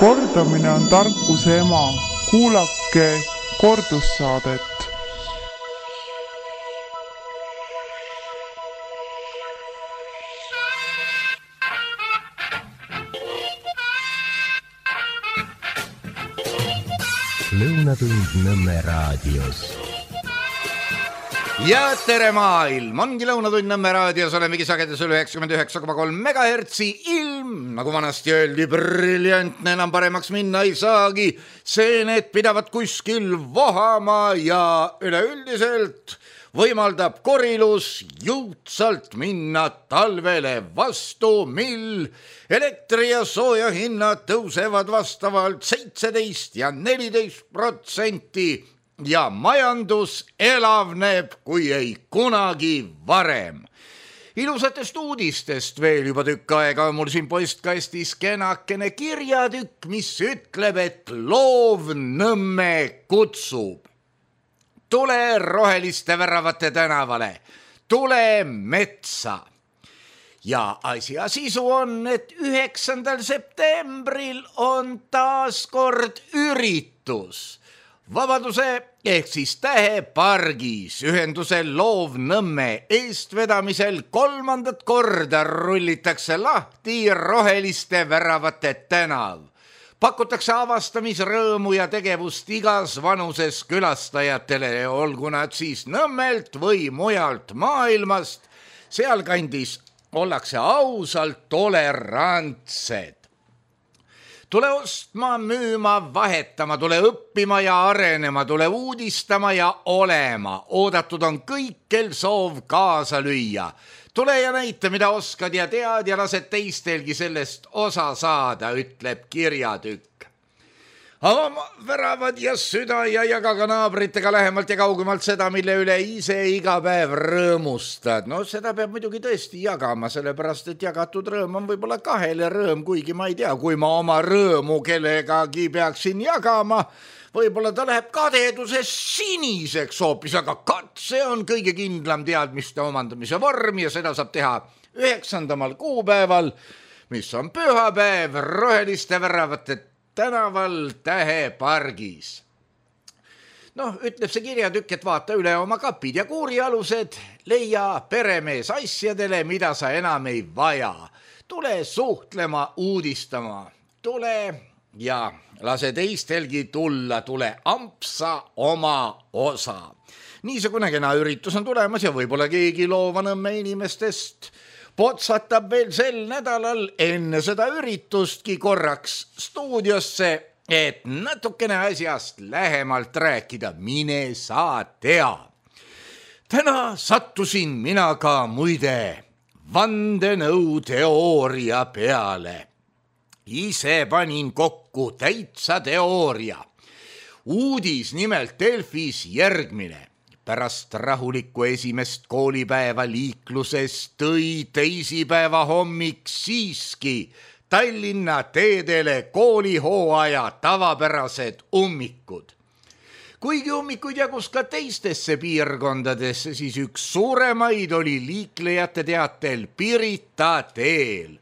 Kordamine on tarkuse ema. Kuulake kordussaadet. Lõunatund Nõmme raadios. Ja tere maailm, ongi Lõunatund Nõmme raadios, olemegi sagedusel 99,3 megahertsi. Ilm, nagu vanasti öeldi, briljantne, enam paremaks minna ei saagi. See need pidavad kuskil vohama ja üleüldiselt võimaldab korilus jõudsalt minna talvele vastu, mil elektri ja sooja hinnad tõusevad vastavalt 17 ja 14% ja majandus elavneb kui ei kunagi varem. Ilusatest uudistest veel juba tükk aega on mul siin postkastis kenakene kirjatükk, mis ütleb, et loov Nõmme kutsub. Tule roheliste väravate tänavale, tule metsa. Ja asja sisu on, et 9. septembril on taas kord üritus. Vabaduse ehk siis Tähepargis ühenduse Loov Nõmme eestvedamisel 3. korda rullitakse lahti roheliste väravate tänav. Pakutakse avastamisrõõmu ja tegevust igas vanuses külastajatele, olgu nad siis Nõmmelt või mujalt maailmast. Sealkandis ollakse ausalt tolerantsed. Tule ostma, müüma, vahetama, tule õppima ja arenema, tule uudistama ja olema. Oodatud on kõik, kel soov kaasa lüüa. Tule ja näita, mida oskad ja tead ja lased teistelgi sellest osa saada, ütleb kirjatükk. Ava väravad ja süda ja jagaga naabritega lähemalt ja kaugemalt seda, mille üle ise iga päev rõõmustad. No seda peab muidugi tõesti jagama, sellepärast et jagatud rõõm on võib-olla kahele rõõm, kuigi ma ei tea, kui ma oma rõõmu kellegagi peaksin jagama, võib-olla ta läheb kadeduses siniseks hoopis, aga katse on kõige kindlam teadmiste omandamise vorm ja seda saab teha 9. kuupäeval, mis on pühapäev roheliste väravate tänaval Tähepargis. Ütleb see kirjatükk, et vaata üle oma kapid ja kuurialused, leia peremees asjadele, mida sa enam ei vaja. Tule suhtlema, uudistama, tule ja lase teistelgi tulla, tule ampsa oma osa. Niisugune kena üritus on tulemas ja võib-olla keegi Loova Nõmme inimestest potsatab veel sel nädalal enne seda üritustki korraks stuudiosse, et natukene asjast lähemalt rääkida, mine sa tea. Täna sattusin mina ka muide vandenõuteooria peale. Ise panin kokku täitsa teooria. Uudis nimelt Delfis järgmine. Pärast rahulikku esimest koolipäeva liikluses tõi teisipäeva hommik siiski Tallinna teedele koolihooaja tavapärased ummikud. Kuigi ummikuid jagus ka teistesse piirkondadesse, siis üks suuremaid oli liiklejate teatel Pirita teel.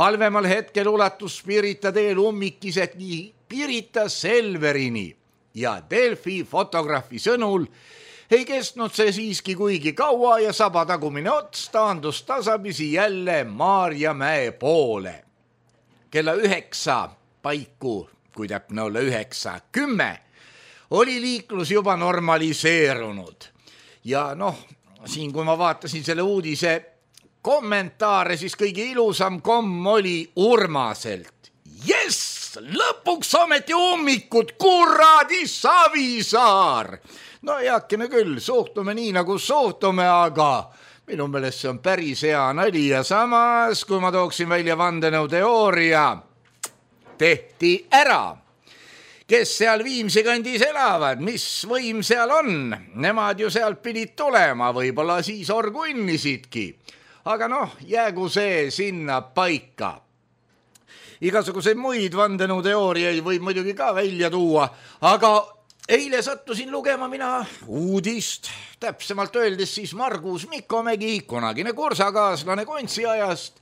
Halvemal hetkel ulatus Pirita teel ummik isegi Pirita Selverini ja Delfi fotograafi sõnul ei kestnud see siiski kuigi kaua ja saba tagumine ots taandus tasapisi jälle Maarjamäe poole. Kella 9 paiku, kui täpne olla 9:10, oli liiklus juba normaliseerunud. Ja siin kui ma vaatasin selle uudise kommentaare, siis kõige ilusam komm oli Urmaselt. Jess, lõpuks ometi ummikud, kuradi Savisaar! Heakene küll, suhtume nii nagu suhtume, aga minu meelest see on päris hea nali ja samas, kui ma tooksin välja vandenõuteooria, tehti ära. Kes seal Viimsi kandis elavad, mis võim seal on, nemad ju sealt pidid tulema, võib-olla siis orgunnisidki. Aga jäägu see sinna paika. Igasuguseid muid vandenõuteooriaid võib muidugi ka välja tuua, aga eile sattusin lugema mina uudist, täpsemalt öeldes siis Margus Mikkomägi, kunagine kursakaaslane Kontsi ajast,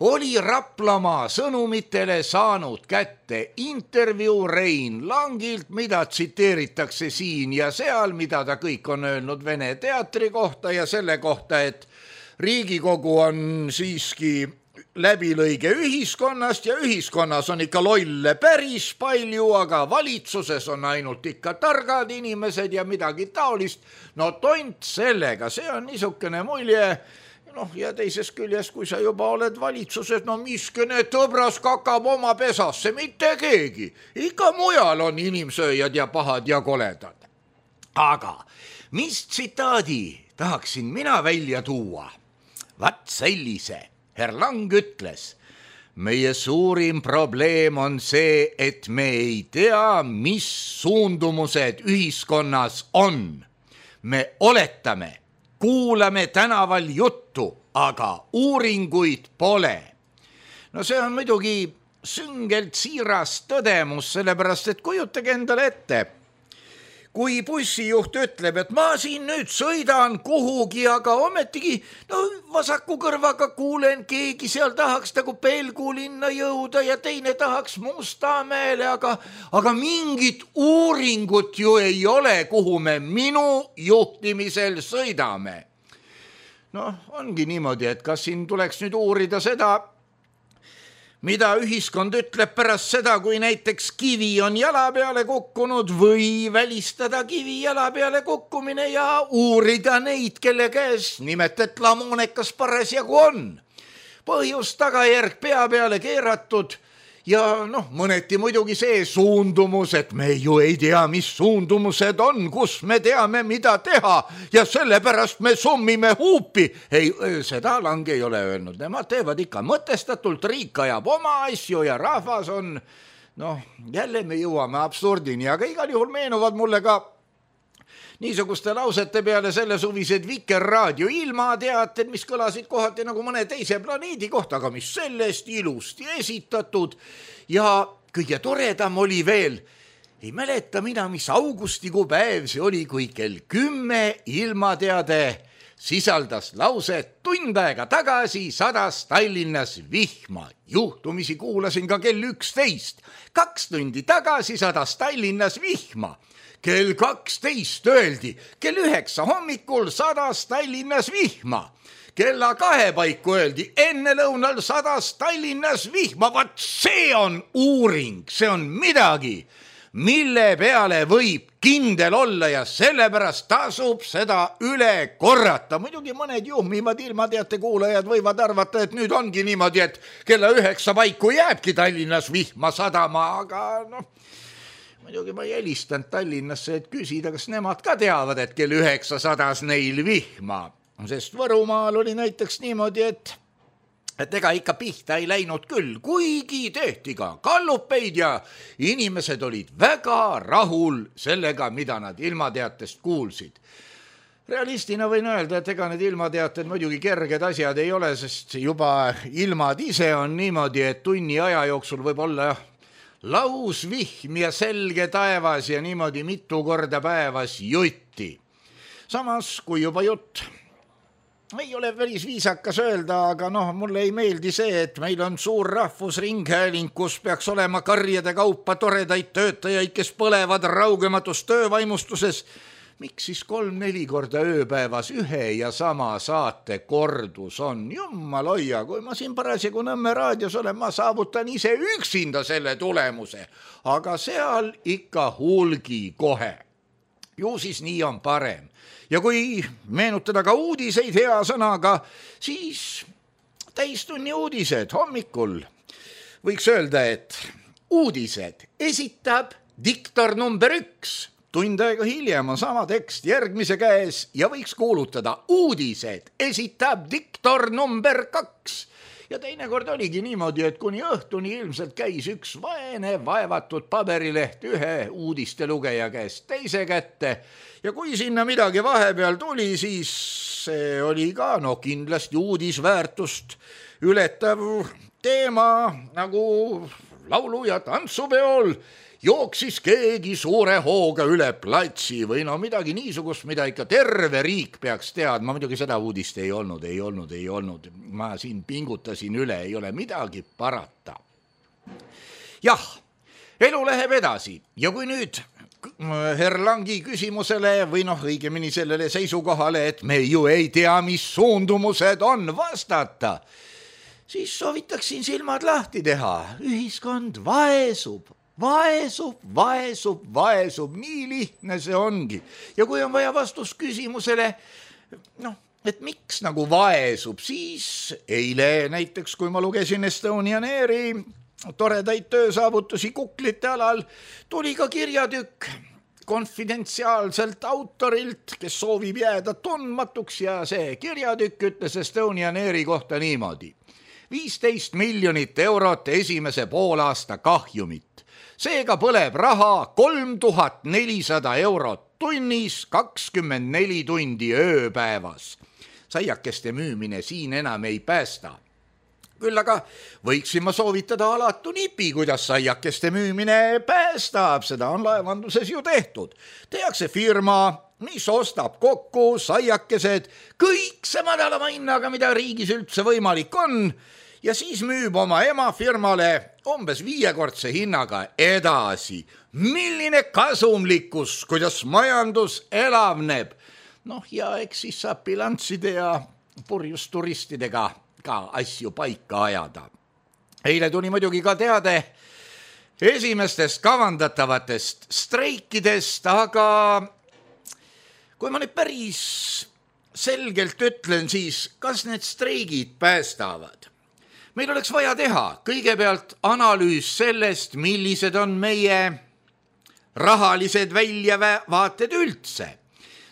oli Raplamaa sõnumitele saanud kätte intervjuu Rein Langilt, mida tsiteeritakse siin ja seal, mida ta kõik on öelnud Vene teatri kohta ja selle kohta, et Riigikogu on siiski läbilõige ühiskonnast ja ühiskonnas on ikka lolle päris palju, aga valitsuses on ainult ikka targad inimesed ja midagi taolist. No tont sellega, see on niisugune mulje. Noh, ja teisest küljest, kui sa juba oled valitsuses, no miskene tõbras kakab oma pesasse, mitte keegi. Ikka mujal on inimsööjad ja pahad ja koledad. Aga mis tsitaadi tahaksin mina välja tuua? Vat sellise. Herr Lang ütles, meie suurim probleem on see, et me ei tea, mis suundumused ühiskonnas on. Me oletame, kuulame tänaval juttu, aga uuringuid pole. No see on muidugi süngelt siiras tõdemus, sellepärast et kujutage endale ette, kui bussijuht ütleb, et ma siin nüüd sõidan kuhugi, aga ometigi vasaku kõrvaga kuulen, keegi seal tahaks nagu Pelgulinna jõuda ja teine tahaks Mustamäele, aga mingit uuringut ju ei ole, kuhu me minu juhtimisel sõidame. Ongi niimoodi, et kas siin tuleks nüüd uurida seda, mida ühiskond ütleb pärast seda, kui näiteks kivi on jala peale kukkunud või välistada kivi jala peale kukkumine ja uurida neid, kelle käes nimetet lamoonekas parasjagu on. Põhjus tagajärg pea peale keeratud ja mõneti muidugi see suundumus, et me ju ei tea, mis suundumused on, kus me teame, mida teha ja sellepärast me summime huupi. Ei, seda Lang ei ole öelnud. Nemad teevad ikka mõtestatult, riik ajab oma asju ja rahvas on, jälle me jõuame absurdini, aga igal juhul meenuvad mulle ka niisuguste lausete peale selle suvised Vikerraadio ilmateated, mis kõlasid kohati nagu mõne teise planeedi kohta, aga mis sellest ilusti esitatud. Ja kõige toredam oli veel, ei mäleta mina, mis augustikuu päev see oli, kui kell 10 ilmateade sisaldas lauset: tund aega tagasi sadas Tallinnas vihma. Juhtumisi kuulasin ka kell 11. 2 tundi tagasi sadas Tallinnas vihma. Kell 12 öeldi, kell 9 hommikul sadas Tallinnas vihma. Kella 2 paiku öeldi, enne lõunal sadas Tallinnas vihma. Vat see on uuring, see on midagi, mille peale võib kindel olla ja sellepärast tasub seda üle korrata. Muidugi mõned juhmimad ilmateate kuulajad võivad arvata, et nüüd ongi niimoodi, et kella 9 paiku jääbki Tallinnas vihma sadama, aga muidugi ma ei helistanud Tallinnasse, et küsida, kas nemad ka teavad, et kell 9 sadas neil vihma. Sest Võrumaal oli näiteks niimoodi, et ega ikka pihta ei läinud küll, kuigi tehti ka kallupeid ja inimesed olid väga rahul sellega, mida nad ilmateatest kuulsid. Realistina võin öelda, et ega need ilmateated muidugi kerged asjad ei ole, sest juba ilmad ise on niimoodi, et tunni aja jooksul võib olla lausvihm ja selge taevas ja niimoodi mitu korda päevas jutti. Samas, kui juba jutt ei ole päris viisakas öelda, aga mulle ei meeldi see, et meil on suur rahvusringhääling, kus peaks olema karjade kaupa toredaid töötajaid, kes põlevad raugematus töövaimustuses. Miks siis 3-4 korda ööpäevas ühe ja sama saate kordus on? Jummal hoia, kui ma siin parasjagu Nõmme raadios olen, ma saavutan ise üksinda selle tulemuse, aga seal ikka hulgi kohe. Ju siis nii on parem. Ja kui meenutada ka uudiseid hea sõnaga, siis täistunni uudised hommikul. Võiks öelda, et uudised esitab diktor number 1. Tund aega hiljem on sama tekst järgmise käes ja võiks kuulutada uudised esitab diktor number 2. Ja teinekord oligi niimoodi, et kuni õhtuni ilmselt käis üks vaene vaevatud paberileht ühe uudiste lugeja käest teise kätte. Ja kui sinna midagi vahepeal tuli, siis see oli ka kindlasti uudisväärtust ületav teema, nagu laulu- ja tantsupeol jooksis keegi suure hooga üle platsi või no midagi niisugust, mida ikka terve riik peaks teadma. Muidugi seda uudist ei olnud. Ma siin pingutasin üle, ei ole midagi parata. Jah, elu läheb edasi ja kui nüüd Erlangi küsimusele või noh, õigemini sellele seisukohale, et me ju ei tea, mis suundumused on vastata, siis soovitaksin silmad lahti teha. Ühiskond vaesub, nii lihtne see ongi. Ja kui on vaja vastust küsimusele, et miks nagu vaesub, siis eile näiteks, kui ma lugesin Estonian Airi toredaid töösaavutusi kuklite alal, tuli ka kirjatükk konfidentsiaalselt autorilt, kes soovib jääda tundmatuks ja see kirjatükk ütles Estonian Airi kohta niimoodi. 15 miljonit eurot esimese poolaasta kahjumit. Seega põleb raha 3400 eurot tunnis, 24 tundi ööpäevas. Saiakeste müümine siin enam ei päästa. Küll aga võiksin ma soovitada alatu nipi, kuidas saiakeste müümine päästab. Seda on laevanduses ju tehtud. Tehakse firma, mis ostab kokku saiakesed kõikse madalama hinnaga, mida riigis üldse võimalik on, ja siis müüb oma emafirmale umbes 5-kordse hinnaga edasi. Milline kasumlikkus, kuidas majandus elavneb. Ja eks siis saab bilansside ja purjusturistidega ka asju paika ajada. Eile tuli muidugi ka teade esimestest kavandatavatest streikidest, aga kui ma nüüd päris selgelt ütlen, siis kas need streigid päästavad? Meil oleks vaja teha kõigepealt analüüs sellest, millised on meie rahalised väljavaated üldse.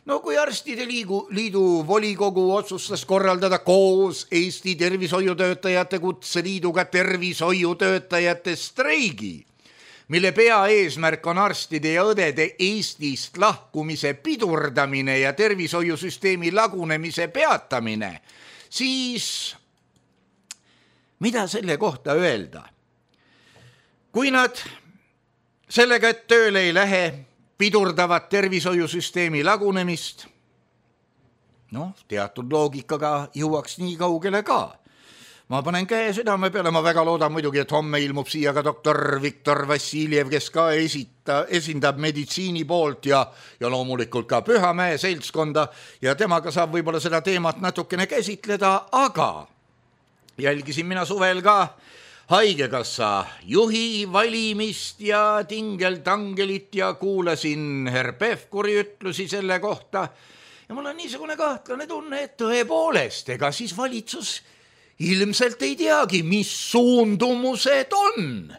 Kui Arstide Liidu volikogu otsustas korraldada koos Eesti Tervishoiutöötajate Kutseliiduga tervishoiutöötajate streigi, mille peaeesmärk on arstide ja õdede Eestist lahkumise pidurdamine ja tervishoiusüsteemi lagunemise peatamine, siis mida selle kohta öelda? Kui nad sellega, et tööle ei lähe, pidurdavad tervishoiusüsteemi lagunemist, teatud loogikaga jõuaks nii kaugele ka. Ma panen käe südame peale, ma väga loodan muidugi, et homme ilmub siia ka doktor Viktor Vassiljev, kes ka esindab meditsiini poolt ja loomulikult ka Pühamäe seltskonda ja temaga saab võib-olla seda teemat natukene käsitleda, aga jälgisin mina suvel ka Haigekassa juhi valimist ja tingeltangelit ja kuulasin Herr Pevkuri ütlusi selle kohta ja mul on niisugune kahtlane tunne, et tõepoolest, ega siis valitsus ilmselt ei teagi, mis suundumused on.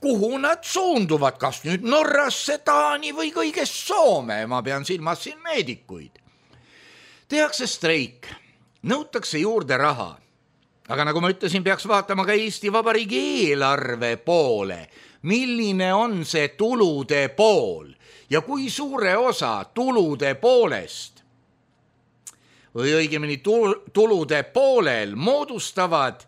Kuhu nad suunduvad, kas nüüd Norrasse, Taani või kõigest Soome, ma pean silmas siin meedikuid. Tehakse streik, nõutakse juurde raha. Aga nagu ma ütlesin, peaks vaatama ka Eesti Vabariigi eelarve poole. Milline on see tulude pool ja kui suure osa tulude poolest või õigemini tulude poolel moodustavad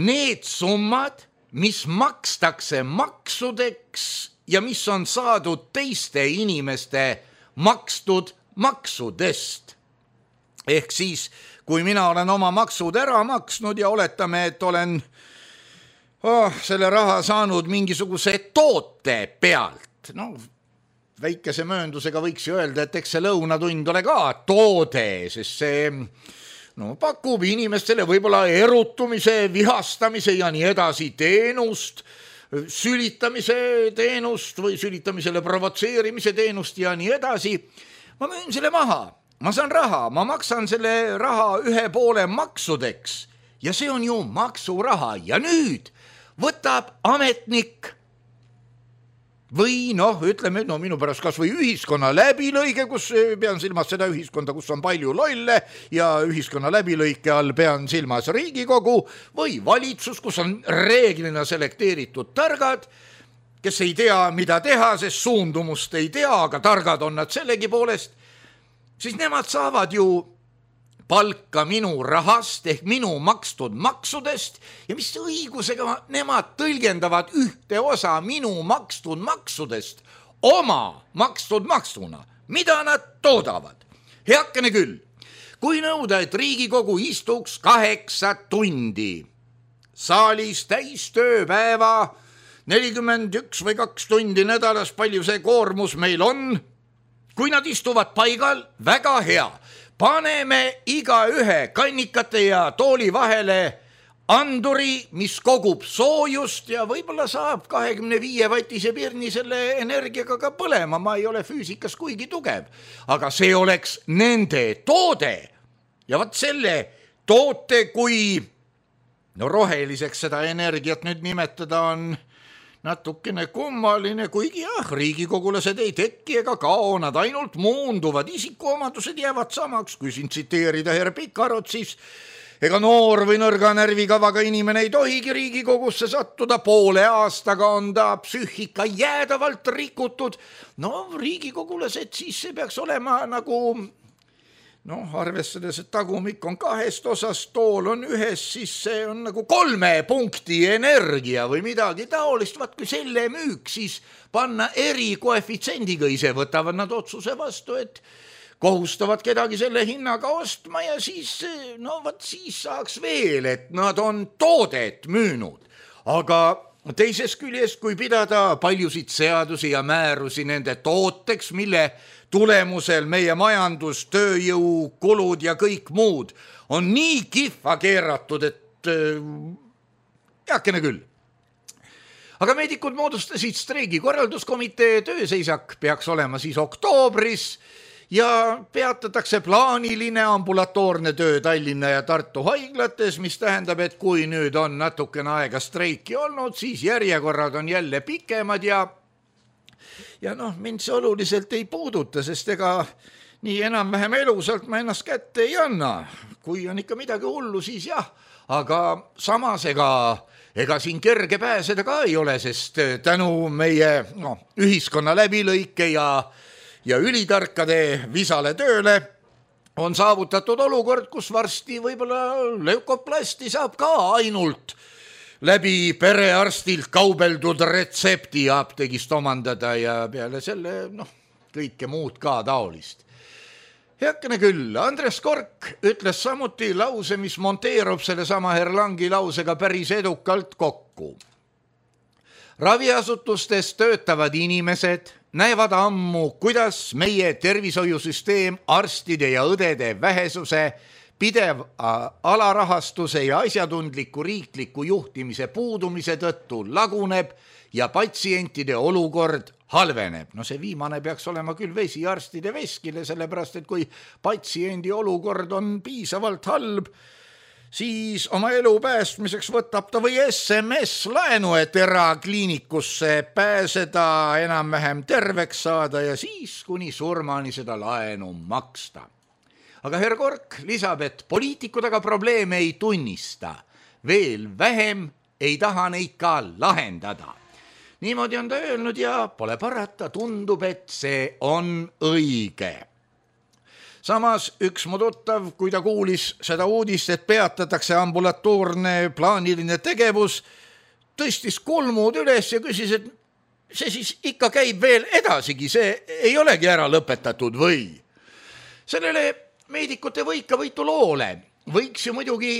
need summad, mis makstakse maksudeks ja mis on saadud teiste inimeste makstud maksudest. Ehk siis kui mina olen oma maksud ära maksnud ja oletame, et olen selle raha saanud mingisuguse toote pealt, väikese mööndusega võiks ju öelda, et eks see lõunatund ole ka toode, sest see pakub inimestele võib-olla erutumise, vihastamise ja nii edasi teenust, sülitamise teenust või sülitamisele provotseerimise teenust ja nii edasi. Ma müün selle maha. Ma saan raha, ma maksan selle raha 1/2 maksudeks ja see on ju maksuraha ja nüüd võtab ametnik või ütleme, minu pärast kas või ühiskonna läbilõige, kus pean silmas seda ühiskonda, kus on palju lolle ja ühiskonna läbilõike all pean silmas Riigikogu või valitsus, kus on reeglina selekteeritud targad, kes ei tea, mida teha, sest suundumust ei tea, aga targad on nad sellegi poolest, siis nemad saavad ju palka minu rahast ehk minu makstud maksudest ja mis õigusega nemad tõlgendavad ühte osa minu makstud maksudest oma makstud maksuna, mida nad toodavad. Heakene küll, kui nõuda, et Riigikogu istuks 8 tundi saalis täis tööpäeva, 41 või 2 tundi nädalas, palju see koormus meil on, kui nad istuvad paigal, väga hea. Paneme igaühe kannikate ja tooli vahele anduri, mis kogub soojust ja võib-olla saab 25-vatise pirni selle energiaga ka põlema. Ma ei ole füüsikas kuigi tugev, aga see oleks nende toode. Ja vaat selle toote, kui roheliseks seda energiat nüüd nimetada on natukene kummaline, kuigi riigikogulased ei tekki ega kao, nad ainult muunduvad, isikuomadused jäävad samaks, kui siin tsiteerida herr Pikarot, siis ega noor või nõrga närvikavaga inimene ei tohigi Riigikogusse sattuda, poole aastaga on ta psüühika jäädavalt rikutud. No riigikogulased, siis see peaks olema nagu arvestades, et tagumik on 2 osast, tool on 1, siis see on nagu 3 punkti energia või midagi taolist. Vaat kui selle müük siis panna erikoefitsiendiga, ise võtavad nad otsuse vastu, et kohustavad kedagi selle hinnaga ostma ja siis, siis saaks veel, et nad on toodet müünud. Aga teisest küljest, kui pidada paljusid seadusi ja määrusi nende tooteks, mille tulemusel meie majandus, tööjõu, kulud ja kõik muud on nii kihva keeratud, et heakene küll. Aga meedikud moodustasid streigi korralduskomitee, tööseisak peaks olema siis oktoobris ja peatatakse plaaniline ambulatoorne töö Tallinna ja Tartu haiglates, mis tähendab, et kui nüüd on natukene aega streiki olnud, siis järjekorrad on jälle pikemad ja mind see oluliselt ei puuduta, sest ega nii enam-vähem elusalt ma ennast kätte ei anna. Kui on ikka midagi hullu, siis jah, aga samas ega siin kerge pääseda ka ei ole, sest tänu meie ühiskonna läbilõike ja ülitarkade visale tööle on saavutatud olukord, kus varsti võib-olla leukoplasti saab ka ainult läbi perearstilt kaubeldud retsepti apteegist omandada ja peale selle kõike muud ka taolist. Heakene küll, Andres Kork ütles samuti lause, mis monteerub selle sama Erlangi lausega päris edukalt kokku. Raviasutustes töötavad inimesed näevad ammu, kuidas meie tervishoiusüsteem arstide ja õdede vähesuse, pidev alarahastuse ja asjatundliku riikliku juhtimise puudumise tõttu laguneb ja patsientide olukord halveneb. See viimane peaks olema küll vesi arstide veskile, sellepärast et kui patsiendi olukord on piisavalt halb, siis oma elu päästmiseks võtab ta või SMS laenu, et erakliinikusse pääseda, enam-vähem terveks saada ja siis kuni surmani seda laenu maksta. Aga herr Kork lisab, et poliitikud aga probleeme ei tunnista. Veel vähem ei taha neid ka lahendada. Niimoodi on ta öelnud ja pole parata, tundub, et see on õige. Samas üks mu tuttav, kui ta kuulis seda uudist, et peatatakse ambulatoorne plaaniline tegevus, tõstis kulmud üles ja küsis, et see siis ikka käib veel edasigi, see ei olegi ära lõpetatud või? Sellele meedikute võikavõitu loole võiks ju muidugi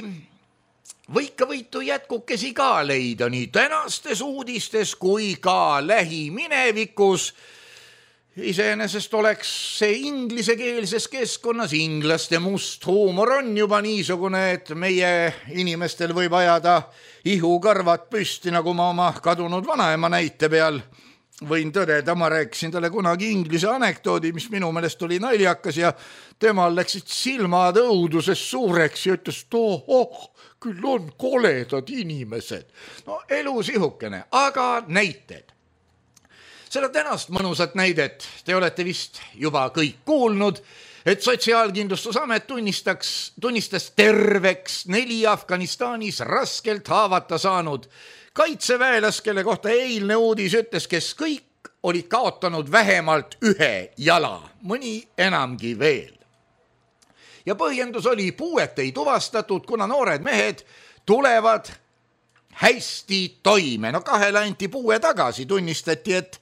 võikavõitu jätkukesi ka leida nii tänastes uudistes kui ka lähiminevikus. Iseenesest oleks see inglisekeelses keskkonnas, inglaste must huumor on juba niisugune, et meie inimestel võib ajada ihukarvad püsti, nagu ma oma kadunud vanaema näite peal võin tõdeda. Ma rääkisin talle kunagi inglise anekdoodi, mis minu meelest oli naljakas ja temal läksid silmad õuduses suureks ja ütles, küll on koledad inimesed. Elu sihukene, aga näited. Seda tänast mõnusat näidet te olete vist juba kõik kuulnud, et Sotsiaalkindlustusamet tunnistas terveks 4 Afganistanis raskelt haavata saanud kaitseväelas, kelle kohta eilne uudis ütles, kes kõik olid kaotanud vähemalt 1 jala, mõni enamgi veel. ja põhjendus oli, puuet ei tuvastatud, kuna noored mehed tulevad hästi toime. No 2 anti puue tagasi, tunnistati, et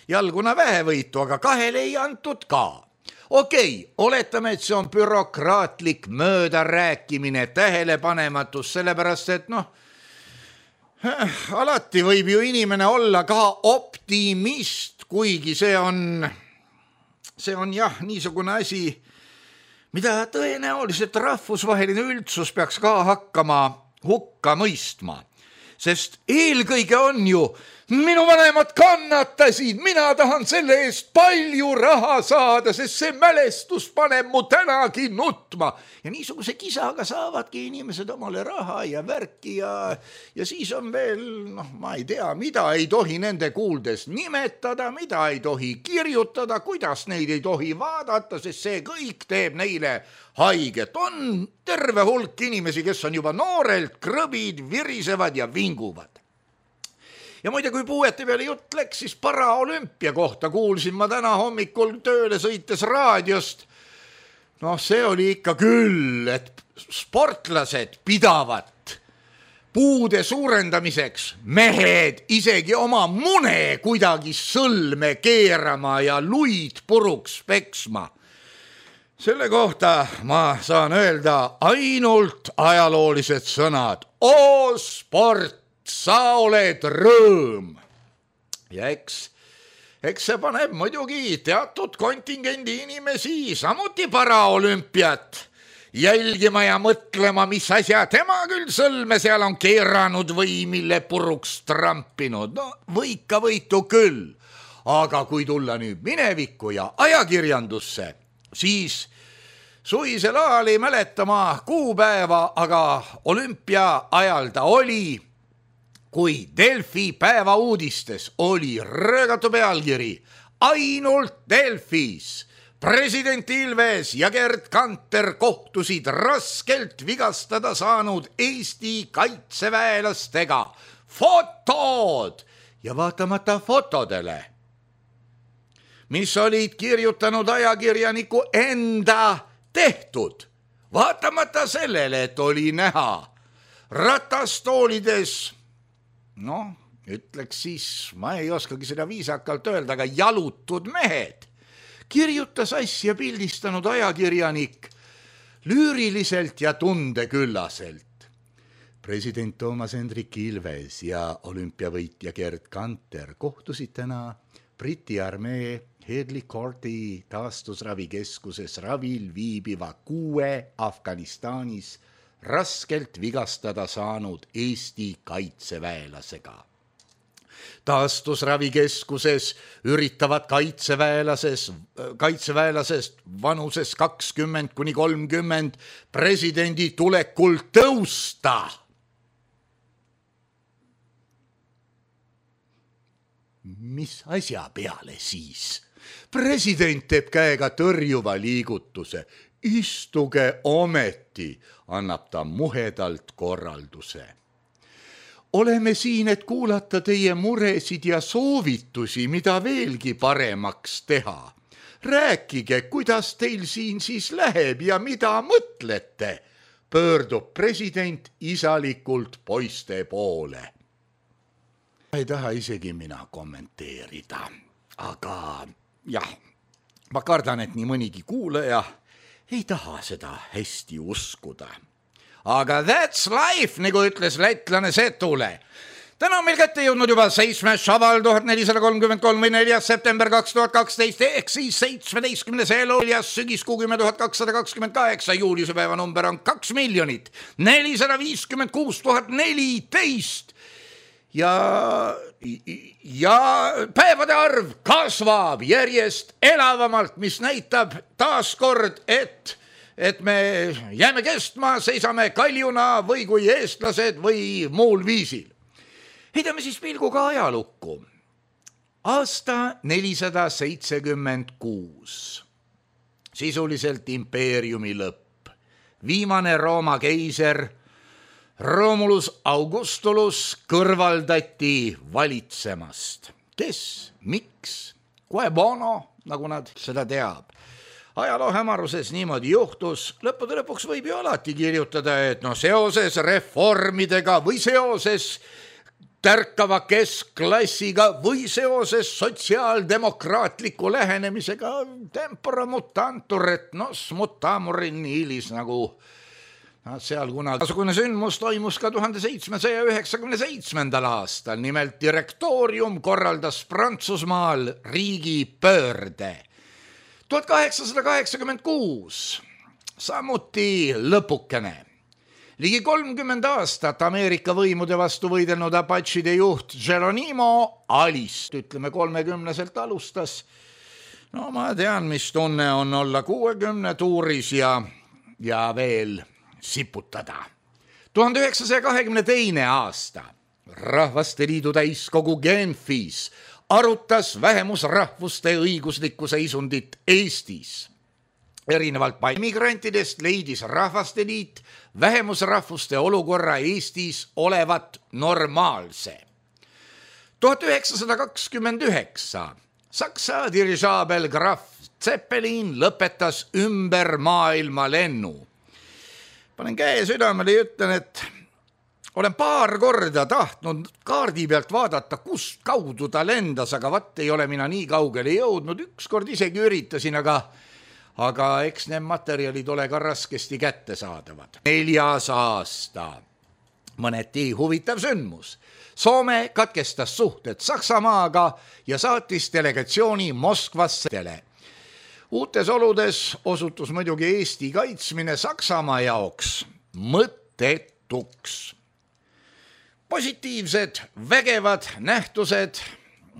jalguna vähevõitu, aga 2 ei antud ka. Okei, oletame, et see on bürokraatlik möödarääkimine, tähelepanematus, sellepärast, et alati võib ju inimene olla ka optimist, kuigi see on jah, niisugune asi, mida tõenäoliselt rahvusvaheline üldsus peaks ka hakkama hukka mõistma. Sest eelkõige on ju, minu vanemad kannatasid, mina tahan selle eest palju raha saada, sest see mälestus paneb mu tänagi nutma. Ja niisuguse kisaga saavadki inimesed omale raha ja värki ja siis on veel, ma ei tea, mida ei tohi nende kuuldes nimetada, mida ei tohi kirjutada, kuidas neid ei tohi vaadata, sest see kõik teeb neile haiget. On terve hulk inimesi, kes on juba noorelt krõbid, virisevad ja vinguvad. Ja muide, kui puuete peale jutt läks, siis paraolümpia kohta kuulsin ma täna hommikul tööle sõites raadiost. See oli ikka küll, et sportlased pidavat puude suurendamiseks mehed isegi oma mune kuidagi sõlme keerama ja luid puruks peksma. Selle kohta ma saan öelda ainult ajaloolised sõnad. O sport! Sa oled rõõm. Ja eks see paneb muidugi teatud kontingendi inimesi samuti paraolümpiat jälgima ja mõtlema, mis asja tema küll sõlme seal on keeranud või mille puruks trampinud. Võika võitu küll, aga kui tulla nüüd minevikku ja ajakirjandusse, siis suvisel ajal ei mäleta ma kuupäeva, aga olümpia ajal ta oli, kui Delfi päevauudistes oli röögatu pealkiri ainult Delfis. President Ilves ja Gerd Kanter kohtusid raskelt vigastada saanud Eesti kaitseväelastega. Fotod! Ja vaatamata fotodele, mis olid kirjutanud ajakirjaniku enda tehtud, vaatamata sellele, et oli näha ratastoolides, ütleks siis, ma ei oskagi seda viisakalt öelda, aga jalutud mehed, kirjutas asja pildistanud ajakirjanik lüüriliselt ja tundeküllaselt. President Toomas Hendrik Ilves ja olümpiavõitja Gerd Kanter kohtusid täna Briti armee Headley Courti taastusravikeskuses ravil viibiva 6 Afganistanis raskelt vigastada saanud Eesti kaitseväelasega. Taastusravikeskuses üritavad kaitseväelasest vanuses 20–30 presidendi tulekul tõusta. Mis asja peale siis? President teeb käega tõrjuva liigutuse. Istuge ometi, annab ta muhedalt korralduse. Oleme siin, et kuulata teie muresid ja soovitusi, mida veelgi paremaks teha. Rääkige, kuidas teil siin siis läheb ja mida mõtlete, pöördub president isalikult poiste poole. Ei taha isegi mina kommenteerida, aga jah, ma kardan, et nii mõnigi kuulaja ei taha seda hästi uskuda. Aga that's life, nagu ütles lätlane Setule. Täna on meil kätte jõudnud juba 7. šaval 1433 või 4. september 2012 ehk siis 17. elulias sügiskuu 10 228. Juuliuse päeva number on 2 456 014 ja päevade arv kasvab järjest elavamalt, mis näitab taaskord, et me jääme kestma, seisame kaljuna või kui eestlased või muul viisil. Heidame siis pilguga ajalukku. Aasta 476. Sisuliselt impeeriumi lõpp. Viimane Rooma keiser Romulus Augustulus kõrvaldati valitsemast. Kes, miks, quae bono, nagu nad seda teab. ajaloo hämaruses niimoodi juhtus, lõppude lõpuks võib ju alati kirjutada, et seoses reformidega või seoses tärkava keskklassiga või seoses sotsiaaldemokraatliku lähenemisega tempora mutantur et nos mutamur in ilis nagu seal kunagi. Tasugune sündmus toimus ka 1797. aastal, nimelt direktoorium korraldas Prantsusmaal riigipöörde. 1886, samuti lõpukene. Ligi 30 aastat Ameerika võimude vastu võidelnud Apachide juht Geronimo Alist, ütleme 30-selt alustas. Ma tean, mis tunne on olla 60 tuuris ja veel siputada. 1922. aasta Rahvaste Liidu täiskogu Genfis arutas vähemusrahvuste õiguslikku seisundit Eestis. Erinevalt migrantidest leidis Rahvaste Liit vähemusrahvuste olukorra Eestis olevat normaalse. 1929 Saksa dirižaabel Graf Zeppelin lõpetas ümber maailma lennu. Panen käe südamele ja ütlen, et olen paar korda tahtnud kaardi pealt vaadata, kust kaudu ta lendas, aga ei ole mina nii kaugele jõudnud. Ükskord isegi üritasin, aga eks need materjalid ole ka raskesti kättesaadavad. 4. aasta. Mõneti huvitav sündmus. Soome katkestas suhted Saksamaaga ja saatis delegatsiooni Moskvasse. Uutes oludes osutus muidugi Eesti kaitsmine Saksamaa jaoks mõttetuks. Positiivsed, vägevad nähtused,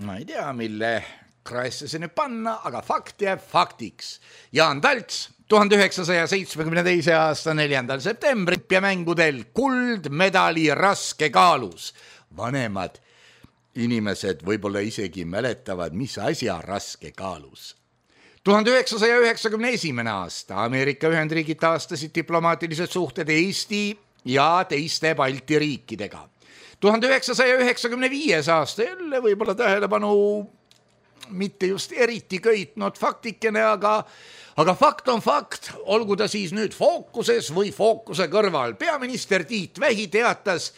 ma ei tea, mille kraesse see nüüd panna, aga fakt jääb faktiks. Jaan Talts 1972. aasta 4. septembri olümpiamängudel kuldmedali raskekaalus. Vanemad inimesed võib-olla isegi mäletavad, mis asja raskekaalus. 1991. aasta Ameerika Ühendriigid taastasid diplomaatilised suhted Eesti ja teiste Balti riikidega. 1995. aasta jälle võib-olla tähelepanu mitte just eriti köitnud faktikene, aga fakt on fakt, olgu ta siis nüüd fookuses või fookuse kõrval. Peaminister Tiit Vähi teatas,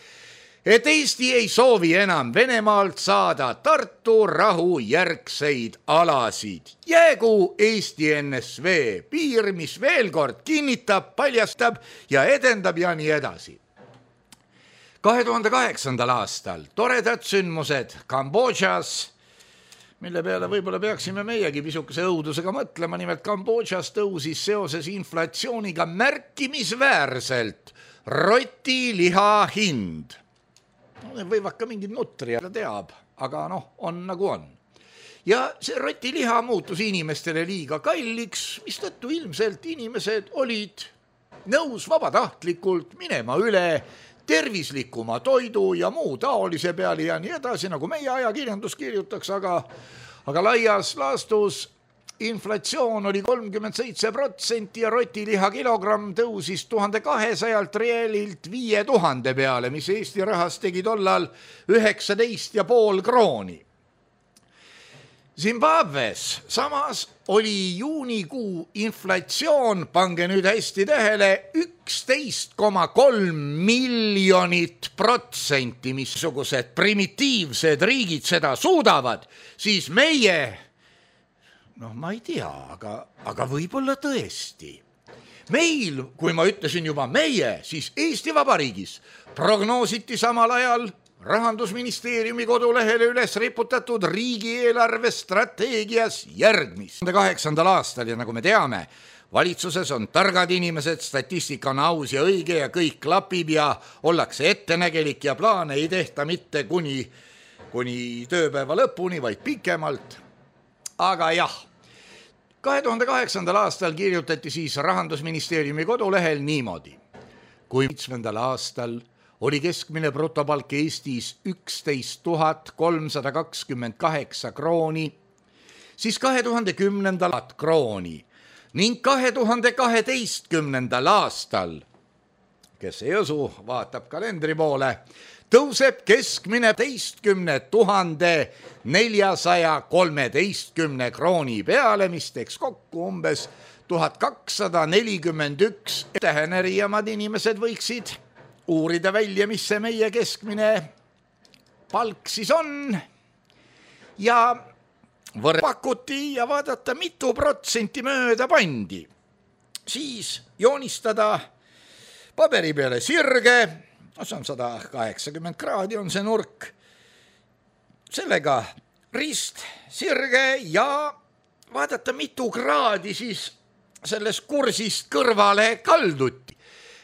et Eesti ei soovi enam Venemaalt saada Tartu rahu järgseid alasid. Jäägu Eesti NSV piir, mis veel kord kinnitab, paljastab ja edendab ja nii edasi. 2008. aastal toredad sündmused Kambodžas, mille peale võib-olla peaksime meiegi pisukese õudusega mõtlema, nimelt Kambodžas tõusis seoses inflatsiooniga märkimisväärselt rotiliha hind. Võivad ka mingid nutri teab, aga on nagu on. Ja see rotiliha muutus inimestele liiga kalliks, mistõttu ilmselt inimesed olid nõus vabatahtlikult minema üle tervislikuma toidu ja muu taolise peale ja nii edasi, nagu meie ajakirjandus kirjutaks, aga laias laastus inflatsioon oli 37% ja rotiliha kilogramm tõusis 1200 realilt 5000 peale, mis Eesti rahas tegi tollal 19,5 krooni. Zimbabwes samas oli juunikuu inflatsioon, pange nüüd hästi tähele, 11,3 miljonit %, missugused primitiivsed riigid seda suudavad, siis meie, ma ei tea, aga võib-olla tõesti. Meil, kui ma ütlesin juba meie, siis Eesti Vabariigis prognoositi samal ajal Rahandusministeeriumi kodulehele üles riputatud riigieelarve strateegias järgmist. 2008. aastal ja nagu me teame, valitsuses on targad inimesed, statistika on aus ja õige ja kõik klapib ja ollakse ettenägelik ja plaane ei tehta mitte kuni tööpäeva lõpuni, vaid pikemalt. Aga jah, 2008. aastal kirjutati siis Rahandusministeeriumi kodulehel niimoodi. Kui 7. aastal oli keskmine brutopalk Eestis 11 328 krooni, siis 2010. krooni ning 2012. aastal, kes ei usu, vaatab kalendri poole, tõuseb keskmine 11 413 krooni peale, mis teeks kokku umbes 1241. Täheneriamad inimesed võiksid uurida välja, mis see meie keskmine palk siis on ja pakuti ja vaadata, mitu protsenti mööda pandi. Siis joonistada paberi peale sirge, see on 180 kraadi on see nurk, sellega rist, sirge ja vaadata, mitu kraadi siis sellest kursist kõrvale kalduti.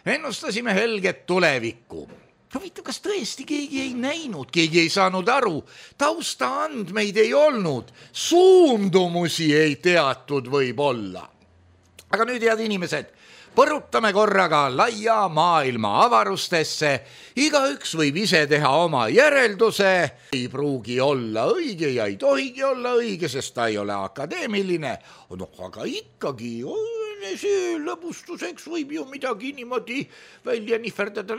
Ennustasime helget tulevikku. Huvitav, kas tõesti keegi ei näinud, keegi ei saanud aru, taustaandmeid ei olnud, suundumusi ei teatud võib-olla. Aga nüüd, head inimesed, põrutame korraga laia maailma avarustesse, igaüks võib ise teha oma järelduse, ei pruugi olla õige ja ei tohigi olla õige, sest ta ei ole akadeemiline, aga ikkagi see lõbustuseks võib ju midagi niimoodi välja nihverdada.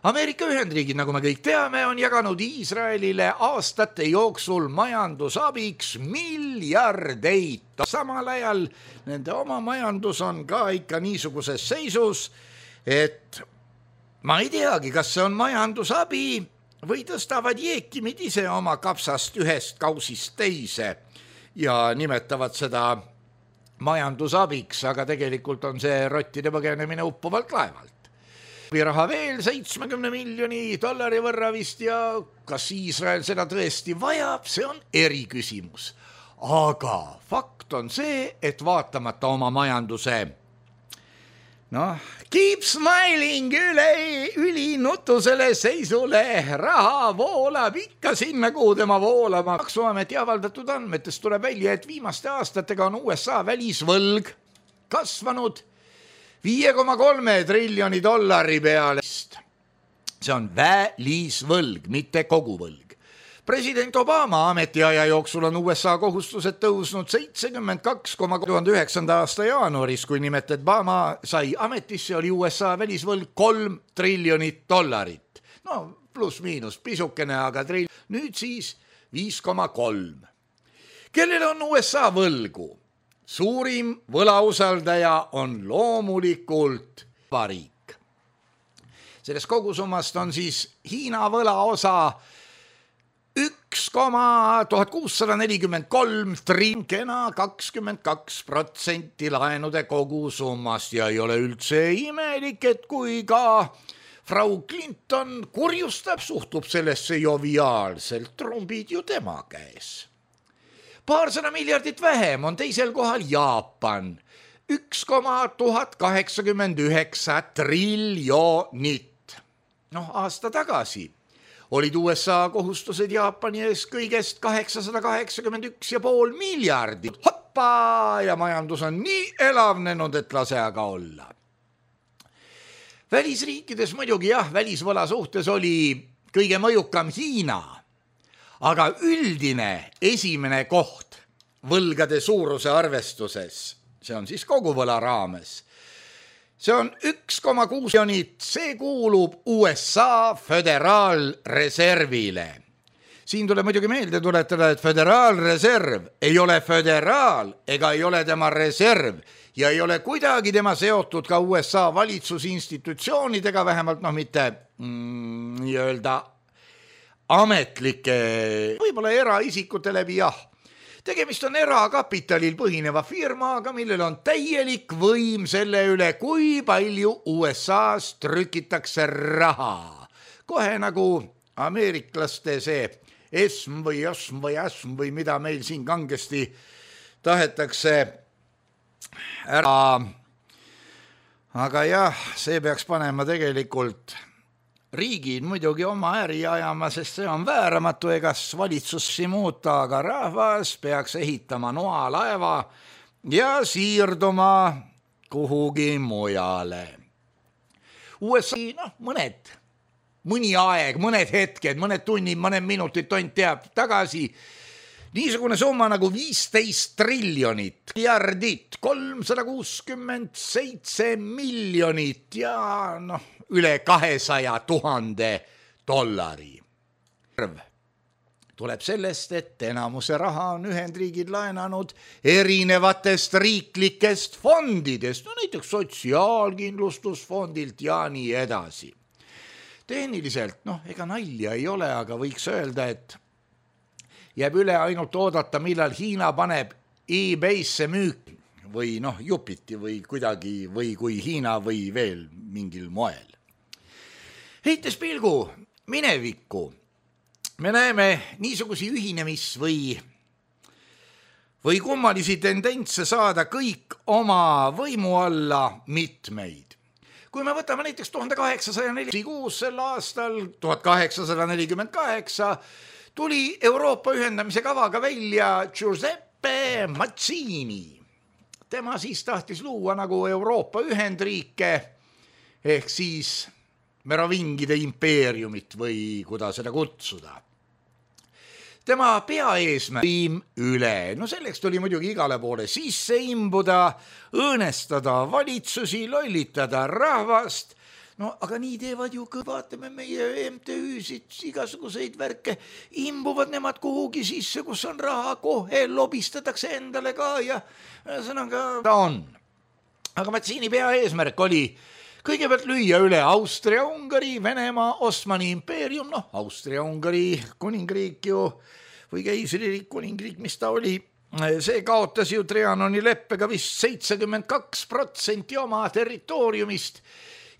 Ameerika Ühendriigid, nagu me kõik teame, on jaganud Iisraelile aastate jooksul majandusabiks miljardeid. Samal ajal nende oma majandus on ka ikka niisuguses seisus, et ma ei teagi, kas see on majandusabi või tõstavad jeekimid ise oma kapsast ühest kausist teise ja nimetavad seda majandusabiks, aga tegelikult on see rottide põgenemine uppuvalt laevalt. Raha veel 70 miljoni dollari võrra vist ja kas Iisrael seda tõesti vajab, see on eriküsimus. Aga fakt on see, et vaatamata oma majanduse keep smiling ülinutusele seisule, raha voolab ikka sinna, kuhu tema voolama. Maksuameti avaldatud andmetest tuleb välja, et viimaste aastatega on USA välisvõlg kasvanud 5,3 triljoni dollari peale. See on välisvõlg, mitte koguvõlg. President Obama ametiaja jooksul on USA kohustused tõusnud 72,2009. aasta jaanuaris, kui nimetet Obama sai ametisse, oli USA välisvõlg 3 triljonit dollarit. Pluss-miinus pisukene, aga nüüd siis 5,3. Kellel on USA võlgu? Suurim võlausaldaja on loomulikult Vabariik. Sellest kogusummast on siis Hiina võlaosa 1,1643 trinkena 22% laenude kogusummast ja ei ole üldse imelik, et kui ka Frau Clinton kurjustab, suhtub sellesse joviaalselt, trumbid ju tema käes. 200 miljardit vähem on teisel kohal Jaapan, 1,1089 triljonit. Aasta tagasi olid USA kohustused Jaapani ees kõigest 881,5 miljardit. Hoppa! Ja majandus on nii elavnenud, et lase aga olla. Välisriikides muidugi välisvõla suhtes oli kõige mõjukam Hiina, aga üldine esimene koht võlgade suuruse arvestuses, see on siis koguvõla raames, see on 1,6 miljonit, see kuulub USA föderaalreservile. Siin tuleb muidugi meelde tuletada, et föderaalreserv ei ole föderaal ega ei ole tema reserv ja ei ole kuidagi tema seotud ka USA valitsusinstitutsioonidega, vähemalt mitte nii-öelda ametlike, võib-olla eraisikute läbi Tegemist on erakapitalil põhineva firmaga, millel on täielik võim selle üle, kui palju USA-s trükitakse raha. Kohe nagu ameeriklaste see esm või mida meil siin kangesti tahetakse ära. Aga see peaks panema tegelikult riigid muidugi oma äri ajama, sest see on vääramatu, egas valitsussi muuta, aga rahvas peaks ehitama noalaeva ja siirduma kuhugi mujale. USA, mõni aeg, mõned hetked, mõned tunnid, mõned minutid, tont teab tagasi, niisugune summa nagu 15 triljonit, miljardit, 367 miljonit ja üle 200 000 dollari. tuleb sellest, et enamuse raha on Ühendriigid laenanud erinevatest riiklikest fondidest, no näiteks sotsiaalkindlustusfondilt ja nii edasi. Tehniliselt, ega nalja ei ole, aga võiks öelda, et jääb üle ainult oodata, millal Hiina paneb eBay'sse müüki või jupiti või kuidagi või kui Hiina või veel mingil moel. Heites pilgu minevikku, me näeme niisugusi ühinemis- või kummalisi tendentse saada kõik oma võimu alla mitmeid. Kui me võtame näiteks 1846 sel aastal, 1848, tuli Euroopa ühendamise kavaga välja Giuseppe Mazzini. Tema siis tahtis luua nagu Euroopa ühendriike ehk siis merovingide impeeriumit või kuidas seda kutsuda. Tema peaeesmärk üle, selleks tuli muidugi igale poole sisse imbuda, õõnestada valitsusi, lollitada rahvast, aga nii teevad ju, vaatame meie MTÜ-sid, igasuguseid värke, imbuvad nemad kuhugi sisse, kus on raha, kohe lobistatakse endale ka ja sõnaga ta on. Aga Mazzini peaeesmärk oli kõigepealt lüüa üle Austria-Ungari, Venemaa, Osmani impeerium, Austria-Ungari kuningriik ju või keisririik, kuningriik, mis ta oli, see kaotas ju Trianoni leppega vist 72% oma territooriumist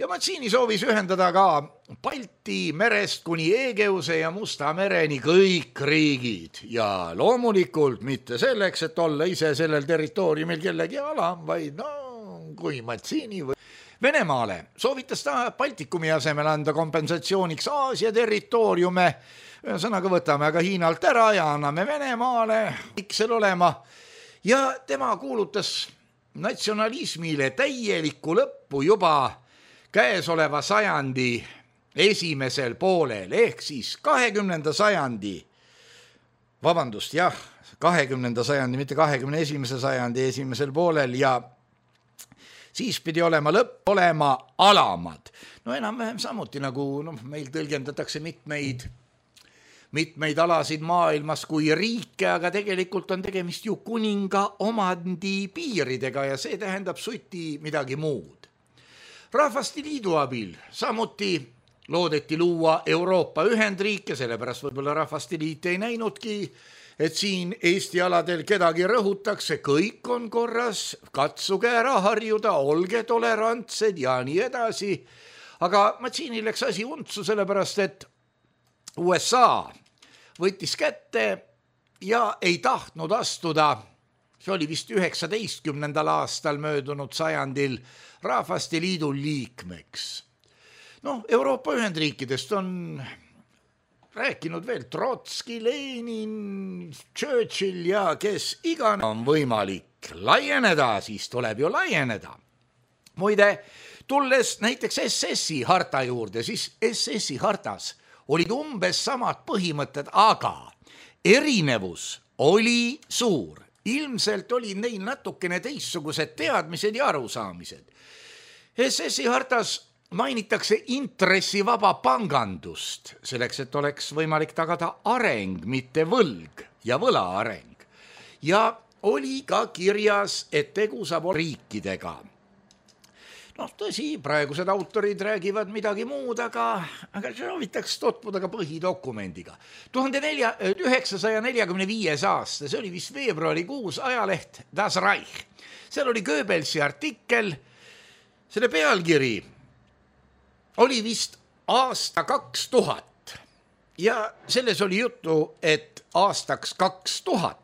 ja Mazzini soovis ühendada ka Balti merest kuni Egeuse ja Musta mereni kõik riigid ja loomulikult mitte selleks, et olla ise sellel territooriumil kellegi alam, vaid kui Mazzini või Venemaale soovitas ta Baltikumi asemel anda kompensatsiooniks Aasia territooriume, sõnaga võtame aga Hiinalt ära ja anname Venemaale iksel olema ja tema kuulutas natsionalismile täielikku lõppu juba käesoleva sajandi esimesel poolel ehk siis 20. sajandi, 20. sajandi, mitte 21. sajandi esimesel poolel ja siis pidi olema lõpp olema alamad. Enam-vähem samuti nagu meil tõlgendatakse mitmeid alasid maailmas kui riike, aga tegelikult on tegemist ju kuninga omandi piiridega ja see tähendab suti midagi muud. Rahvaste Liidu abil samuti loodeti luua Euroopa ühendriike, sellepärast võib-olla Rahvaste Liit ei näinudki, et siin Eesti aladel kedagi rõhutakse, kõik on korras, katsuge ära harjuda, olge tolerantsed ja nii edasi. Aga Mazzini läks asi untsu, sellepärast et USA võttis kätte ja ei tahtnud astuda, see oli vist 19. aastal möödunud sajandil, Rahvaste Liidu liikmeks. Euroopa ühendriikidest on rääkinud veel Trotski, Lenin, Churchill ja kes iganes on võimalik laieneda, siis tuleb ju laieneda. Muide, tulles näiteks SS-i harta juurde, siis SS-i hartas olid umbes samad põhimõtted, aga erinevus oli suur. Ilmselt oli neil natukene teistsugused teadmised ja arusaamised. SS-i hartas mainitakse intressivaba pangandust, selleks, et oleks võimalik tagada areng, mitte võlg ja võla areng. Ja oli ka kirjas, et tegu saab riikidega. Tõsi, praegused autorid räägivad midagi muud, aga soovitaks tutvuda ka põhidokumendiga. 1945. aasta, see oli vist veebruarikuus, ajaleht Das Reich. Seal oli Goebbelsi artikkel, selle pealkiri oli vist aasta 2000 ja selles oli juttu, et aastaks 2000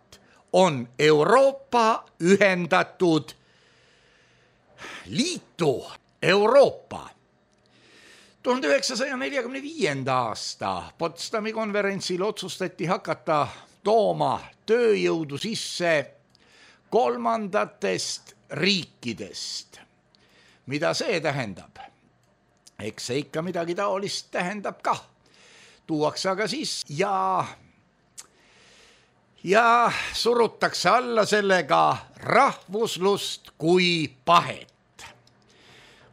on Euroopa ühendatud liitu Euroopa. 1945. aasta Potsdami konverentsil otsustati hakata tooma tööjõudu sisse kolmandatest riikidest. Mida see tähendab? Eks see ikka midagi taolist tähendab ka. Tuuakse aga siis ja surutakse alla sellega rahvuslust kui pahet.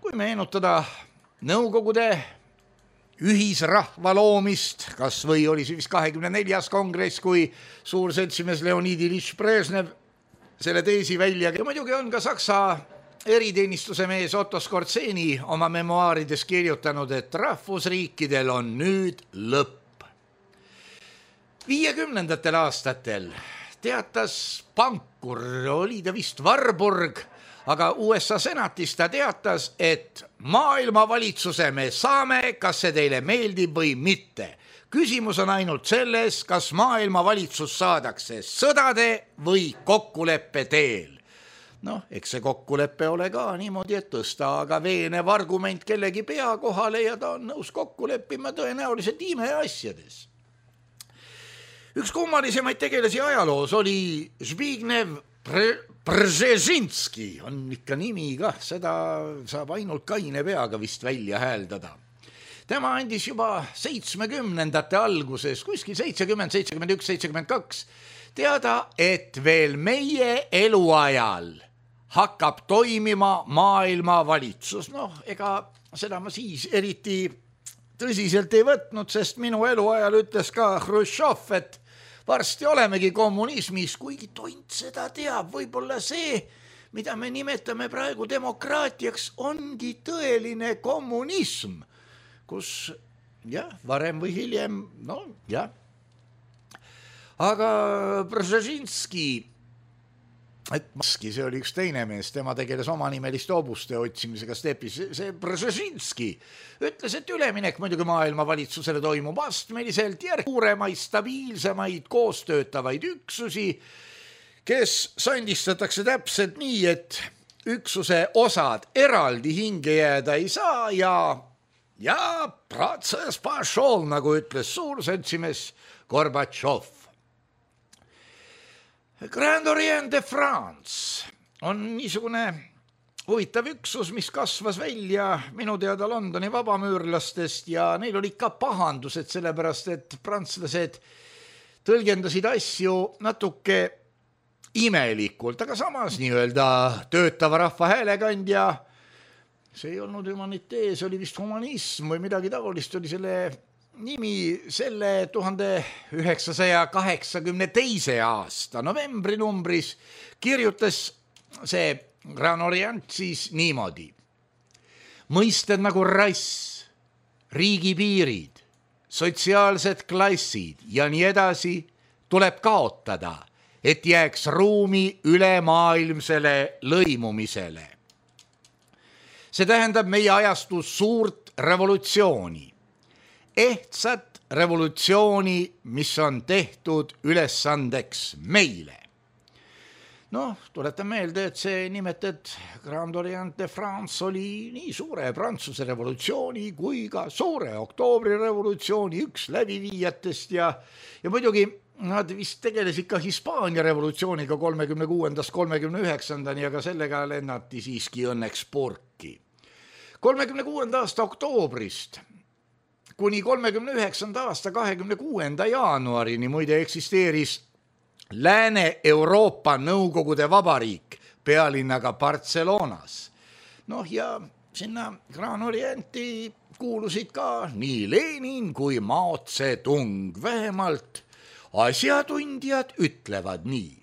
Kui meenutada Nõukogude ühisrahva loomist, kas või oli see vist 24. kongress, kui suur seltsimees Leonid Ilyich Brežnev selle teesi välja. Ja muidugi on ka Saksa eriteenistuse mees Otto Skorzeny oma memuaarides kirjutanud, et rahvusriikidel on nüüd lõpp. 50. aastatel teatas pankur, oli ta vist Warburg, aga USA senatis ta teatas, et maailmavalitsuse me saame, kas see teile meeldib või mitte. Küsimus on ainult selles, kas maailmavalitsus saadakse sõdade või kokkuleppe teel. Noh, eks see kokkuleppe ole ka niimoodi, et tõsta aga veenev argument kellegi pea kohale ja ta on nõus kokku leppima tõenäoliselt imeasjades. Üks kummalisemaid tegelasi ajaloos oli Zbigniew Brzezinski, on ikka nimi kah, seda saab ainult kaine peaga vist välja hääldada. Tema andis juba 70ndate alguses, kuskil 70, 71, 72, teada, et veel meie eluajal hakkab toimima maailmavalitsus. Noh, ega seda ma siis eriti tõsiselt ei võtnud, sest minu eluajal ütles ka Hruštšov, et varsti olemegi kommunismis, kuigi tont seda teab, võib-olla see, mida me nimetame praegu demokraatiaks, ongi tõeline kommunism, kus jah, varem või hiljem, no jah. Aga Brzezinski, see oli üks teine mees, tema tegeles omanimeliste hobuste otsimisega stepis, see Brzezinski ütles, et üleminek muidugi maailmavalitsusele toimub astmeliselt suuremaid, stabiilsemaid, koostöötavaid üksusi, kes sandistatakse täpselt nii, et üksuse osad eraldi hinge jääda ei saa ja protsess pašol, nagu ütles suur seltsimees Gorbatšov. Grand Orient de France on niisugune huvitav üksus, mis kasvas välja minu teada Londoni vabamüürlastest ja neil oli ikka pahandused, sellepärast et prantslased tõlgendasid asju natuke imelikult, aga samas nii-öelda töötava rahva häälekandja, see ei olnud humanitee, see oli vist humanism või midagi taolist, oli selle nimi. Selle 1982. aasta novembrinumbris kirjutas see Grand Orient siis niimoodi. Mõisted nagu rass, riigipiirid, sotsiaalsed klassid ja nii edasi tuleb kaotada, et jääks ruumi ülemaailmsele lõimumisele. See tähendab meie ajastu suurt revolutsiooni. Ehtsat revolutsiooni, mis on tehtud ülesandeks meile. Noh, tuletan meelde, et see nimetet Grand Orient de France oli nii suure Prantsuse revolutsiooni kui ka suure oktoobri revolutsiooni üks läbiviijatest ja muidugi nad vist tegelesid ka Hispaania revolutsiooniga 36. 39. ja ka sellega lennati siiski õnneks purki. 36. aasta oktoobrist kuni 39. aasta 26. jaanuarini muide eksisteeris Lääne-Euroopa Nõukogude Vabariik pealinnaga Barcelonas. Noh ja sinna Grand Orienti kuulusid ka nii Lenin kui Mao Zedong, vähemalt asjatundjad ütlevad nii.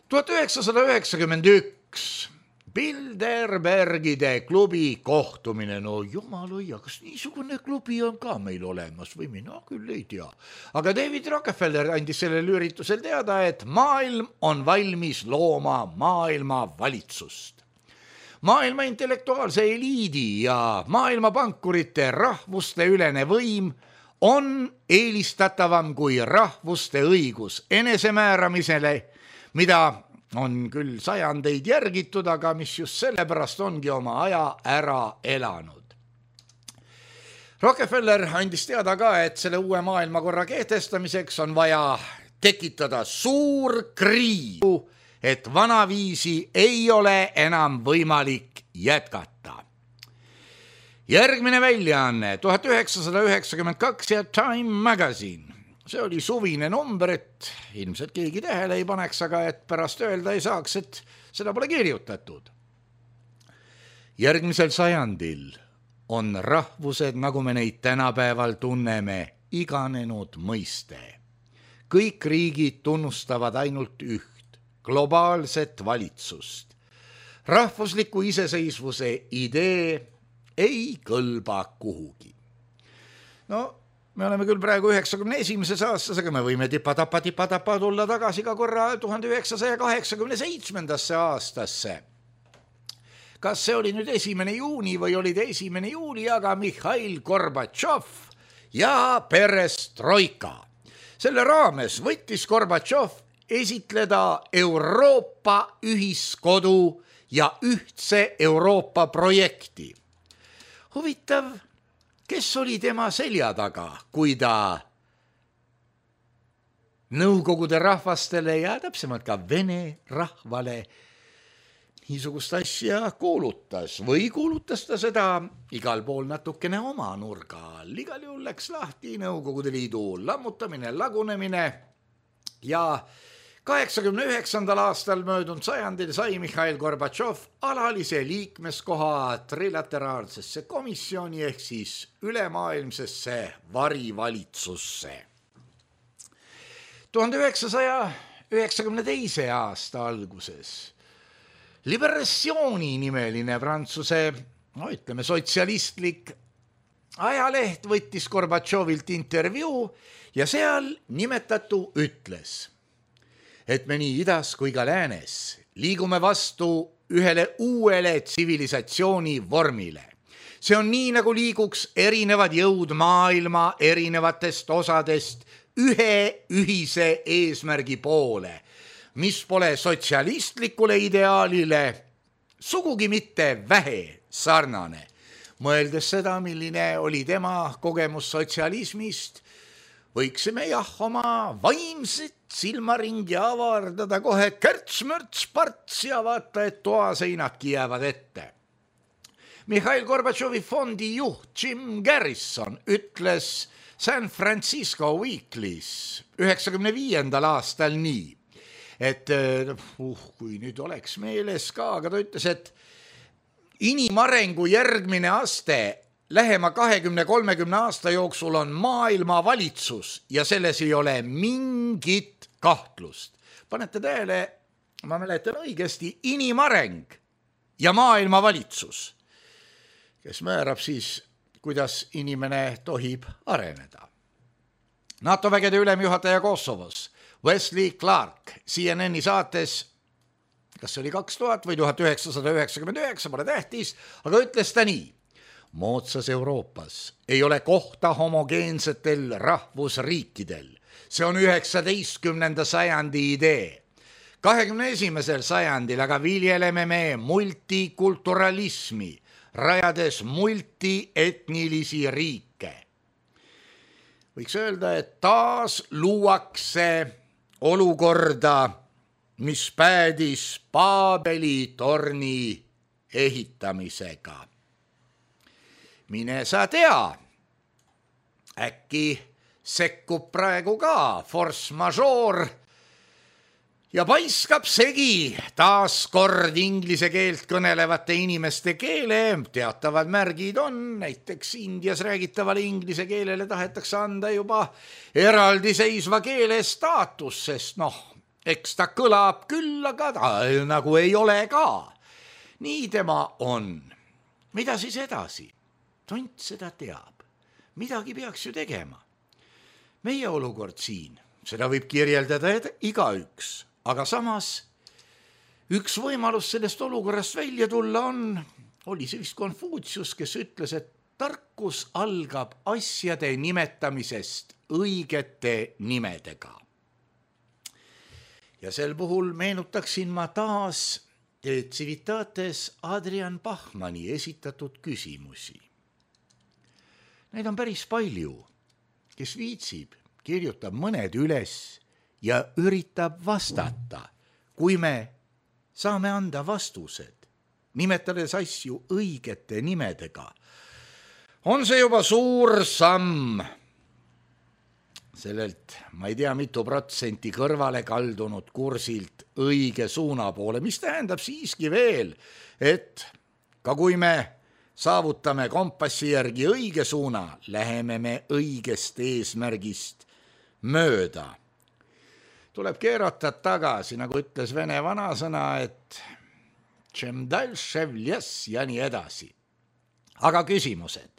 1991 Bilderbergide klubi kohtumine, no jumalõia, kas niisugune klubi on ka meil olemas või mina küll ei tea. Aga David Rockefeller andis sellel üritusel teada, et maailm on valmis looma maailma valitsust. Maailma intellektuaalse eliidi ja maailma pankurite rahvuste ülene võim on eelistatavam kui rahvuste õigus enesemääramisele, mida on küll sajandeid järgitud, aga mis just sellepärast ongi oma aja ära elanud. Rockefeller andis teada ka, et selle uue maailmakorra kehtestamiseks on vaja tekitada suur kriis, et vanaviisi ei ole enam võimalik jätkata. Järgmine väljaanne 1992 ja Time Magazine. See oli suvine number, et ilmselt keegi tähele ei paneks, aga et pärast öelda ei saaks, et seda pole kirjutatud. Järgmisel sajandil on rahvused, nagu me neid tänapäeval tunneme, iganenud mõiste. Kõik riigid tunnustavad ainult üht, globaalset valitsust. Rahvusliku iseseisvuse idee ei kõlba kuhugi. No, me oleme küll praegu 91. aastas, aga me võime tipa-tapa tulla tagasi ka korra 1987. aastasse. Kas see oli nüüd 1. juuni või oli 1. juuli, aga Mihhail Gorbatšov ja perestroika. Selle raames võttis Gorbatšov esitleda Euroopa ühiskodu ja ühtse Euroopa projekti. Huvitav, kes oli tema selja taga, kui ta Nõukogude rahvastele ja täpsemalt ka Vene rahvale niisugust asja kuulutas või kuulutas ta seda igal pool natukene oma nurga all. Igal juhul läks lahti Nõukogude Liidu lammutamine, lagunemine ja 89. aastal möödunud sajandil sai Mihhail Gorbatšov alalise liikmeskoha trilateraalsesse komisjoni ehk siis ülemaailmsesse varivalitsusse. 1992. aasta alguses Liberatsiooni nimeline Prantsuse, ütleme sotsialistlik ajaleht võttis Gorbatšovilt intervjuu ja seal nimetatu ütles, et me nii idas kui ka läänes liigume vastu ühele uuele tsivilisatsiooni vormile. See on nii, nagu liiguks erinevad jõud maailma erinevatest osadest ühe ühise eesmärgi poole, mis pole sotsialistlikule ideaalile sugugi mitte vähe sarnane. Mõeldes seda, milline oli tema kogemus sotsialismist, võiksime oma vaimset silmaringi avardada kohe kärts-mörts-parts ja vaata, et toaseinadki jäävad ette. Mihhail Gorbatšovi fondi juht Jim Garrison ütles San Francisco Weekly's 95. aastal nii, et kui nüüd oleks meeles ka, aga ta ütles, et inimarengu järgmine aste lähema 20-30 aasta jooksul on maailmavalitsus ja selles ei ole mingit kahtlust. Panete tähele, ma mäletan õigesti, inimareng ja maailmavalitsus, kes määrab siis, kuidas inimene tohib areneda. NATO vägede ülemjuhataja Kosovos Wesley Clark CNN-i saates, kas see oli 2000 või 1999, pole tähtis, aga ütles ta nii: moodsas Euroopas ei ole kohta homogeensetel rahvusriikidel. See on 19. sajandi idee. 21. sajandil aga viljeleme me multikulturalismi, rajades multietnilisi riike. Võiks öelda, et taas luuakse olukorda, mis päädis Paabeli torni ehitamisega. Mine sa tea, äkki sekkub praegu ka force majeure ja paiskab segi taas kord inglise keelt kõnelevate inimeste keele. Teatavad märgid on, näiteks Indias räägitavale inglise keelele tahetakse anda juba eraldiseisva keele staatus, sest eks ta kõlab küll, aga ta nagu ei ole ka. Nii tema on. Mida siis edasi? Tont seda teab. Midagi peaks ju tegema. Meie olukord siin, seda võib kirjeldada igaüks, aga samas üks võimalus sellest olukorrast välja tulla oli see vist Konfutsius, kes ütles, et tarkus algab asjade nimetamisest õigete nimedega. Ja sel puhul meenutaksin ma taas Civitates Adrian Bachmanni esitatud küsimusi. Neid on päris palju, kes viitsib, kirjutab mõned üles ja üritab vastata, kui me saame anda vastused, nimetades asju õigete nimedega. On see juba suur samm sellelt, ma ei tea, mitu protsenti kõrvale kaldunud kursilt õige suuna poole, mis tähendab siiski veel, et ka kui me saavutame kompassi järgi õige suuna, läheme me õigest eesmärgist mööda. Tuleb keerata tagasi, nagu ütles vene vanasõna, et tšem dalše vljes ja nii edasi. Aga küsimused.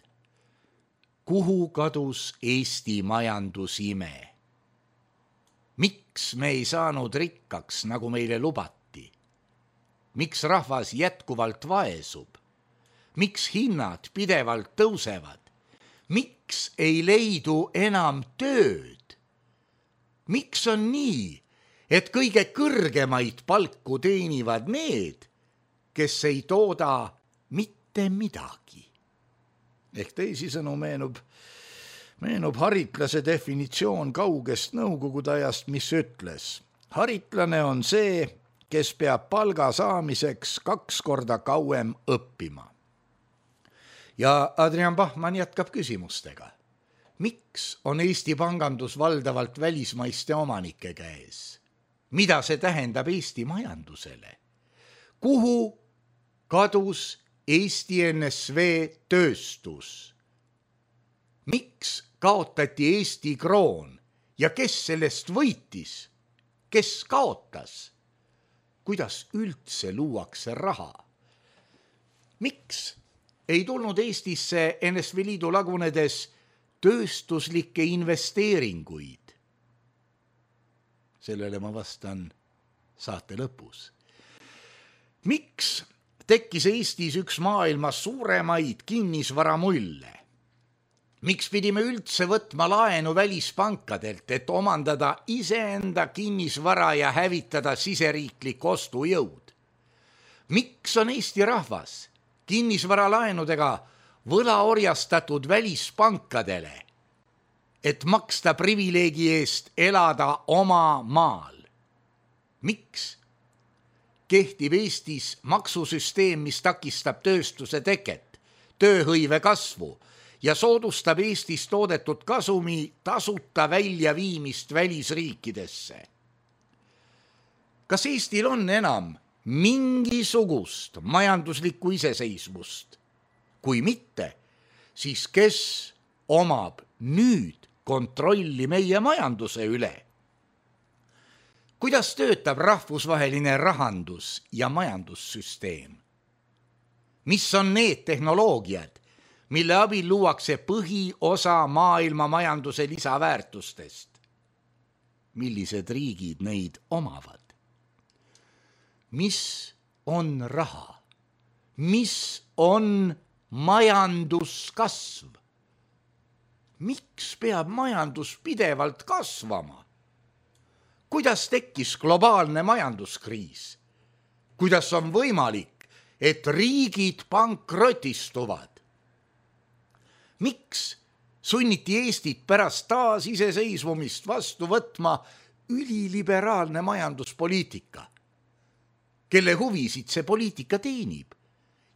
Kuhu kadus Eesti majandusime? Miks me ei saanud rikkaks, nagu meile lubati? Miks rahvas jätkuvalt vaesub? Miks hinnad pidevalt tõusevad? Miks ei leidu enam tööd? Miks on nii, et kõige kõrgemaid palku teenivad need, kes ei tooda mitte midagi? Ehk teisisõnu meenub haritlase definitsioon kaugest nõukogude ajast, mis ütles: haritlane on see, kes peab palga saamiseks 2 korda kauem õppima. Ja Adrian Bachmann jätkab küsimustega. Miks on Eesti pangandus valdavalt välismaiste omanike käes? Mida see tähendab Eesti majandusele? Kuhu kadus Eesti NSV tööstus? Miks kaotati Eesti kroon ja kes sellest võitis? Kes kaotas? Kuidas üldse luuakse raha? Miks ei tulnud Eestisse NSV Liidu lagunedes tööstuslikke investeeringuid? Sellele ma vastan saate lõpus. Miks tekkis Eestis üks maailma suuremaid kinnisvaramulle? Miks pidime üldse võtma laenu välispankadelt, et omandada iseenda kinnisvara ja hävitada siseriiklik ostujõud? Miks on Eesti rahvas kinnisvaralaenudega võlaorjastatud välispankadele, et maksta privileegi eest elada oma maal? Miks kehtib Eestis maksusüsteem, mis takistab tööstuse teket, tööhõive kasvu ja soodustab Eestis toodetud kasumi tasuta väljaviimist välisriikidesse? Kas Eestil on enam mingisugust majanduslikku iseseisvust? Kui mitte, siis kes omab nüüd kontrolli meie majanduse üle? Kuidas töötab rahvusvaheline rahandus- ja majandussüsteem? Mis on need tehnoloogiad, mille abil luuakse põhiosa maailma majanduse lisaväärtustest? Millised riigid neid omavad? Mis on raha? Mis on majanduskasv? Miks peab majandus pidevalt kasvama? Kuidas tekkis globaalne majanduskriis? Kuidas on võimalik, et riigid pankrotistuvad? Miks sunniti Eestit pärast taasiseseisvumist vastu võtma üliliberaalne majanduspoliitika? Kelle huvisid see poliitika teenib?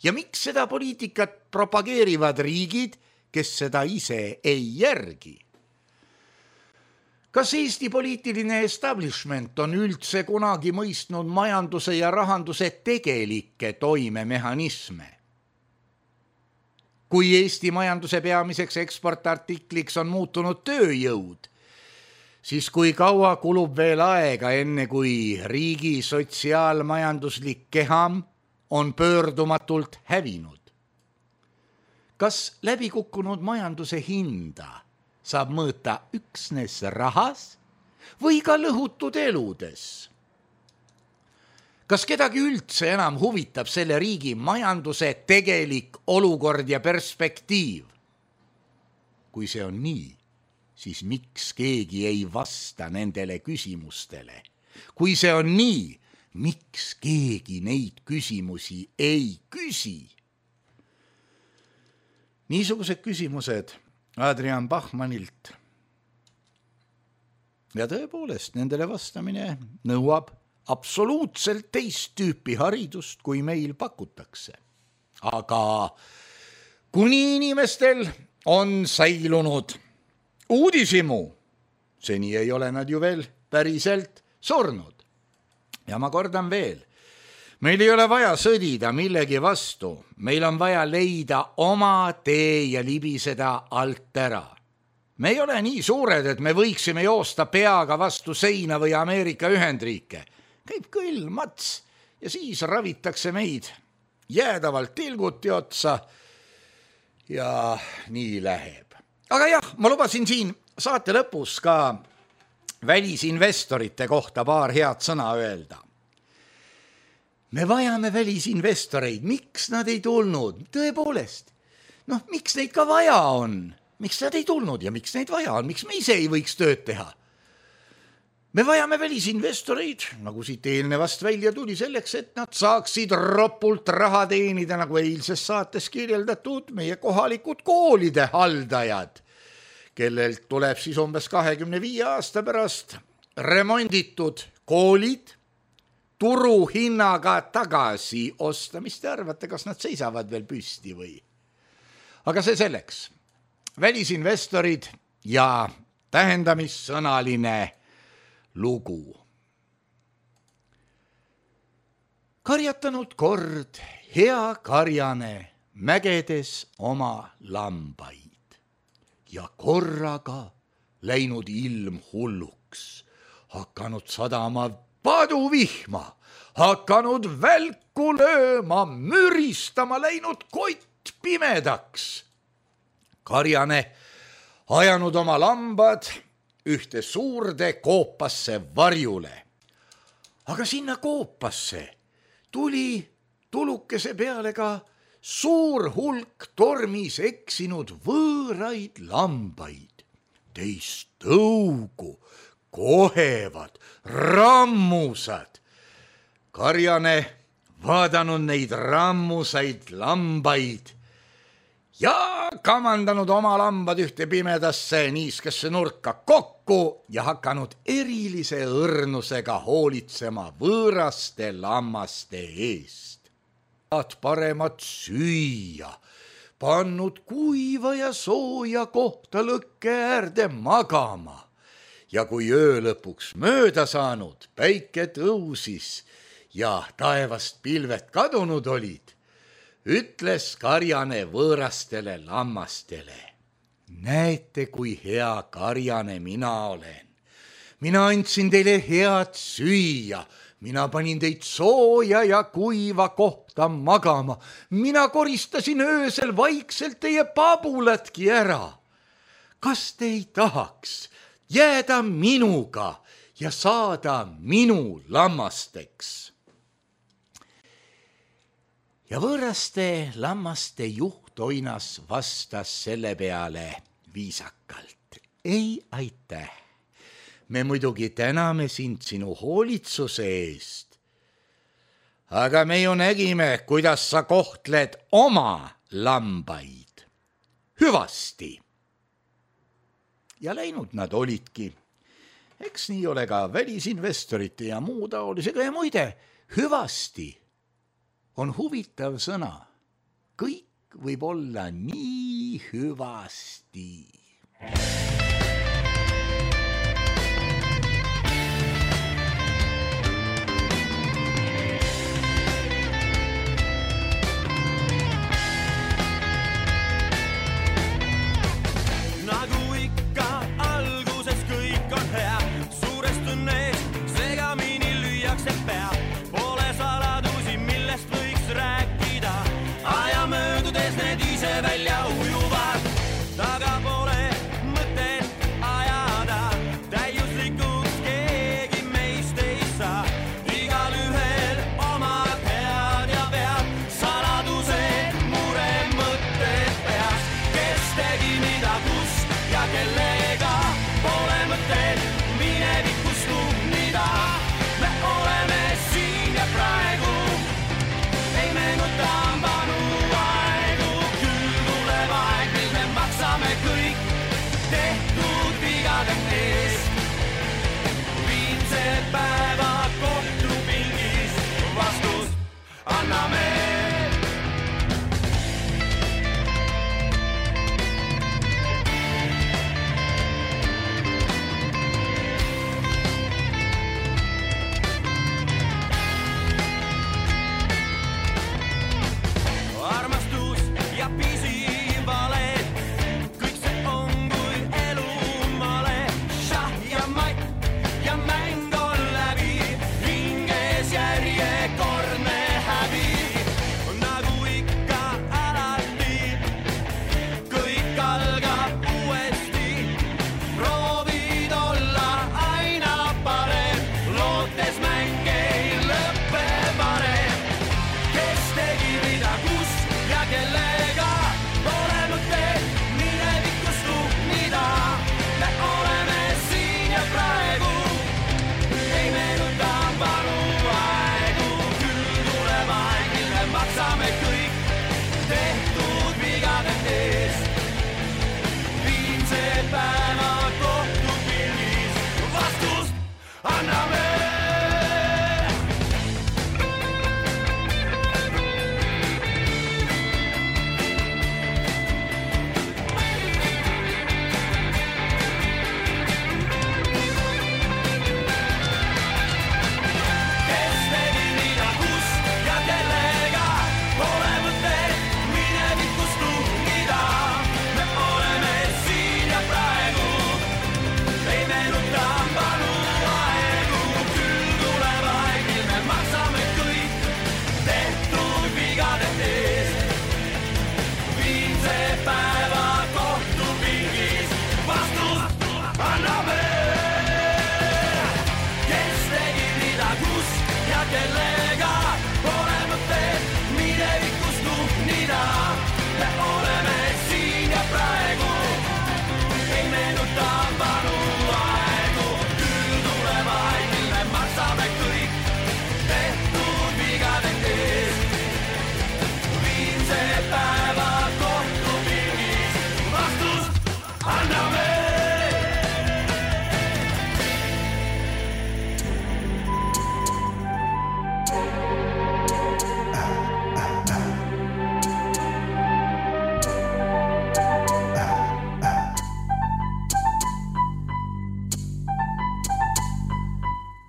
Ja miks seda poliitikat propageerivad riigid, kes seda ise ei järgi? Kas Eesti poliitiline establishment on üldse kunagi mõistnud majanduse ja rahanduse tegelikke toimemehhanisme? Kui Eesti majanduse peamiseks eksportartikliks on muutunud tööjõud, siis kui kaua kulub veel aega, enne kui riigi sotsiaalmajanduslik keham on pöördumatult hävinud? Kas läbikukkunud majanduse hinda saab mõõta üksnes rahas või ka lõhutud eludes? Kas kedagi üldse enam huvitab selle riigi majanduse tegelik olukord ja perspektiiv? Kui see on nii, siis miks keegi ei vasta nendele küsimustele? Kui see on nii, miks keegi neid küsimusi ei küsi? Niisugused küsimused Adrian Bachmannilt. Ja tõepoolest, nendele vastamine nõuab absoluutselt teist tüüpi haridust, kui meil pakutakse. Aga kuni inimestel on säilunud uudishimu, seni ei ole nad ju veel päriselt surnud. Ja ma kordan veel, Meil ei ole vaja sõdida millegi vastu, meil on vaja leida oma tee ja libiseda alt ära. Me ei ole nii suured, et me võiksime joosta peaga vastu seina või Ameerika Ühendriike. Käib kõll, mats ja siis ravitakse meid jäädavalt tilguti otsa ja nii läheb. Aga jah, ma lubasin siin saate lõpus ka välisinvestorite kohta paar head sõna öelda. Me vajame välisinvestoreid, miks nad ei tulnud? Tõepoolest, miks neid ka vaja on? Miks nad ei tulnud ja miks neid vaja on? Miks me ise ei võiks tööd teha? Me vajame välisinvestoreid, nagu siit eelnevast välja tuli, selleks, et nad saaksid ropult raha teenida, nagu eilses saates kirjeldatud meie kohalikud koolide haldajad, kellelt tuleb siis umbes 25 aasta pärast remonditud koolid turuhinnaga tagasi osta. Mis te arvate, kas nad seisavad veel püsti või? Aga see selleks. Välisinvestorid ja tähendamissõnaline lugu. Karjatanud kord hea karjane mägedes oma lambaid ja korraga läinud ilm hulluks, hakanud sadama paduvihma, hakanud välku lööma, müristama, läinud kott pimedaks. Karjane ajanud oma lambad ühte suurde koopasse varjule. Aga sinna koopasse tuli tulukese peale ka suur hulk tormis eksinud võõraid lambaid. Teist tõugu, kohevad, rammusad. Karjane vaadanud neid rammusaid lambaid ja kamandanud oma lambad ühte pimedasse niiskesse nurka kokku ja hakanud erilise õrnusega hoolitsema võõraste lammaste eest. Paremat süüa, pannud kuiva ja sooja kohta lõkke äärde magama ja kui öö lõpuks mööda saanud, päike tõusis ja taevast pilved kadunud olid, ütles Karjane võõrastele lammastele. Näete, kui hea karjane mina olen. Mina andsin teile head süüa, mina panin teid sooja ja kuiva kohta magama. Mina koristasin öösel vaikselt teie pabulatki ära. Kas te ei tahaks jääda minuga ja saada minu lammasteks? Ja võõraste lammaste juht Oinas vastas selle peale viisakalt. Ei, aitäh. Me muidugi täname sind sinu hoolitsuse eest. Aga me ju nägime, kuidas sa kohtled oma lambaid. Hüvasti. Ja läinud nad olidki. Eks nii ole ka välisinvestorite ja muu taolisega ja muide, hüvasti on huvitav sõna. Kõik võib olla nii hüvasti. Nagu ikka alguses kõik on hea, suurest õnnest segamini lüüakse pea. Pole saladusi, millest võiks rääkida, aja möödudes need ise välja ujuvad. Taga pole mõtet ajada, täiuslikuks keegi meist ei saa. Igal ühel omad head ja vead, saladused, mure, mõtted peas. Kes tegi mida, kus ja kellega, pole mõtet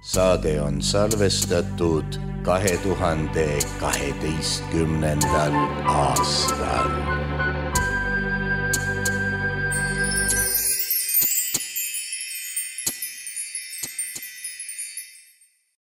Saade on salvestatud 2012. aastal.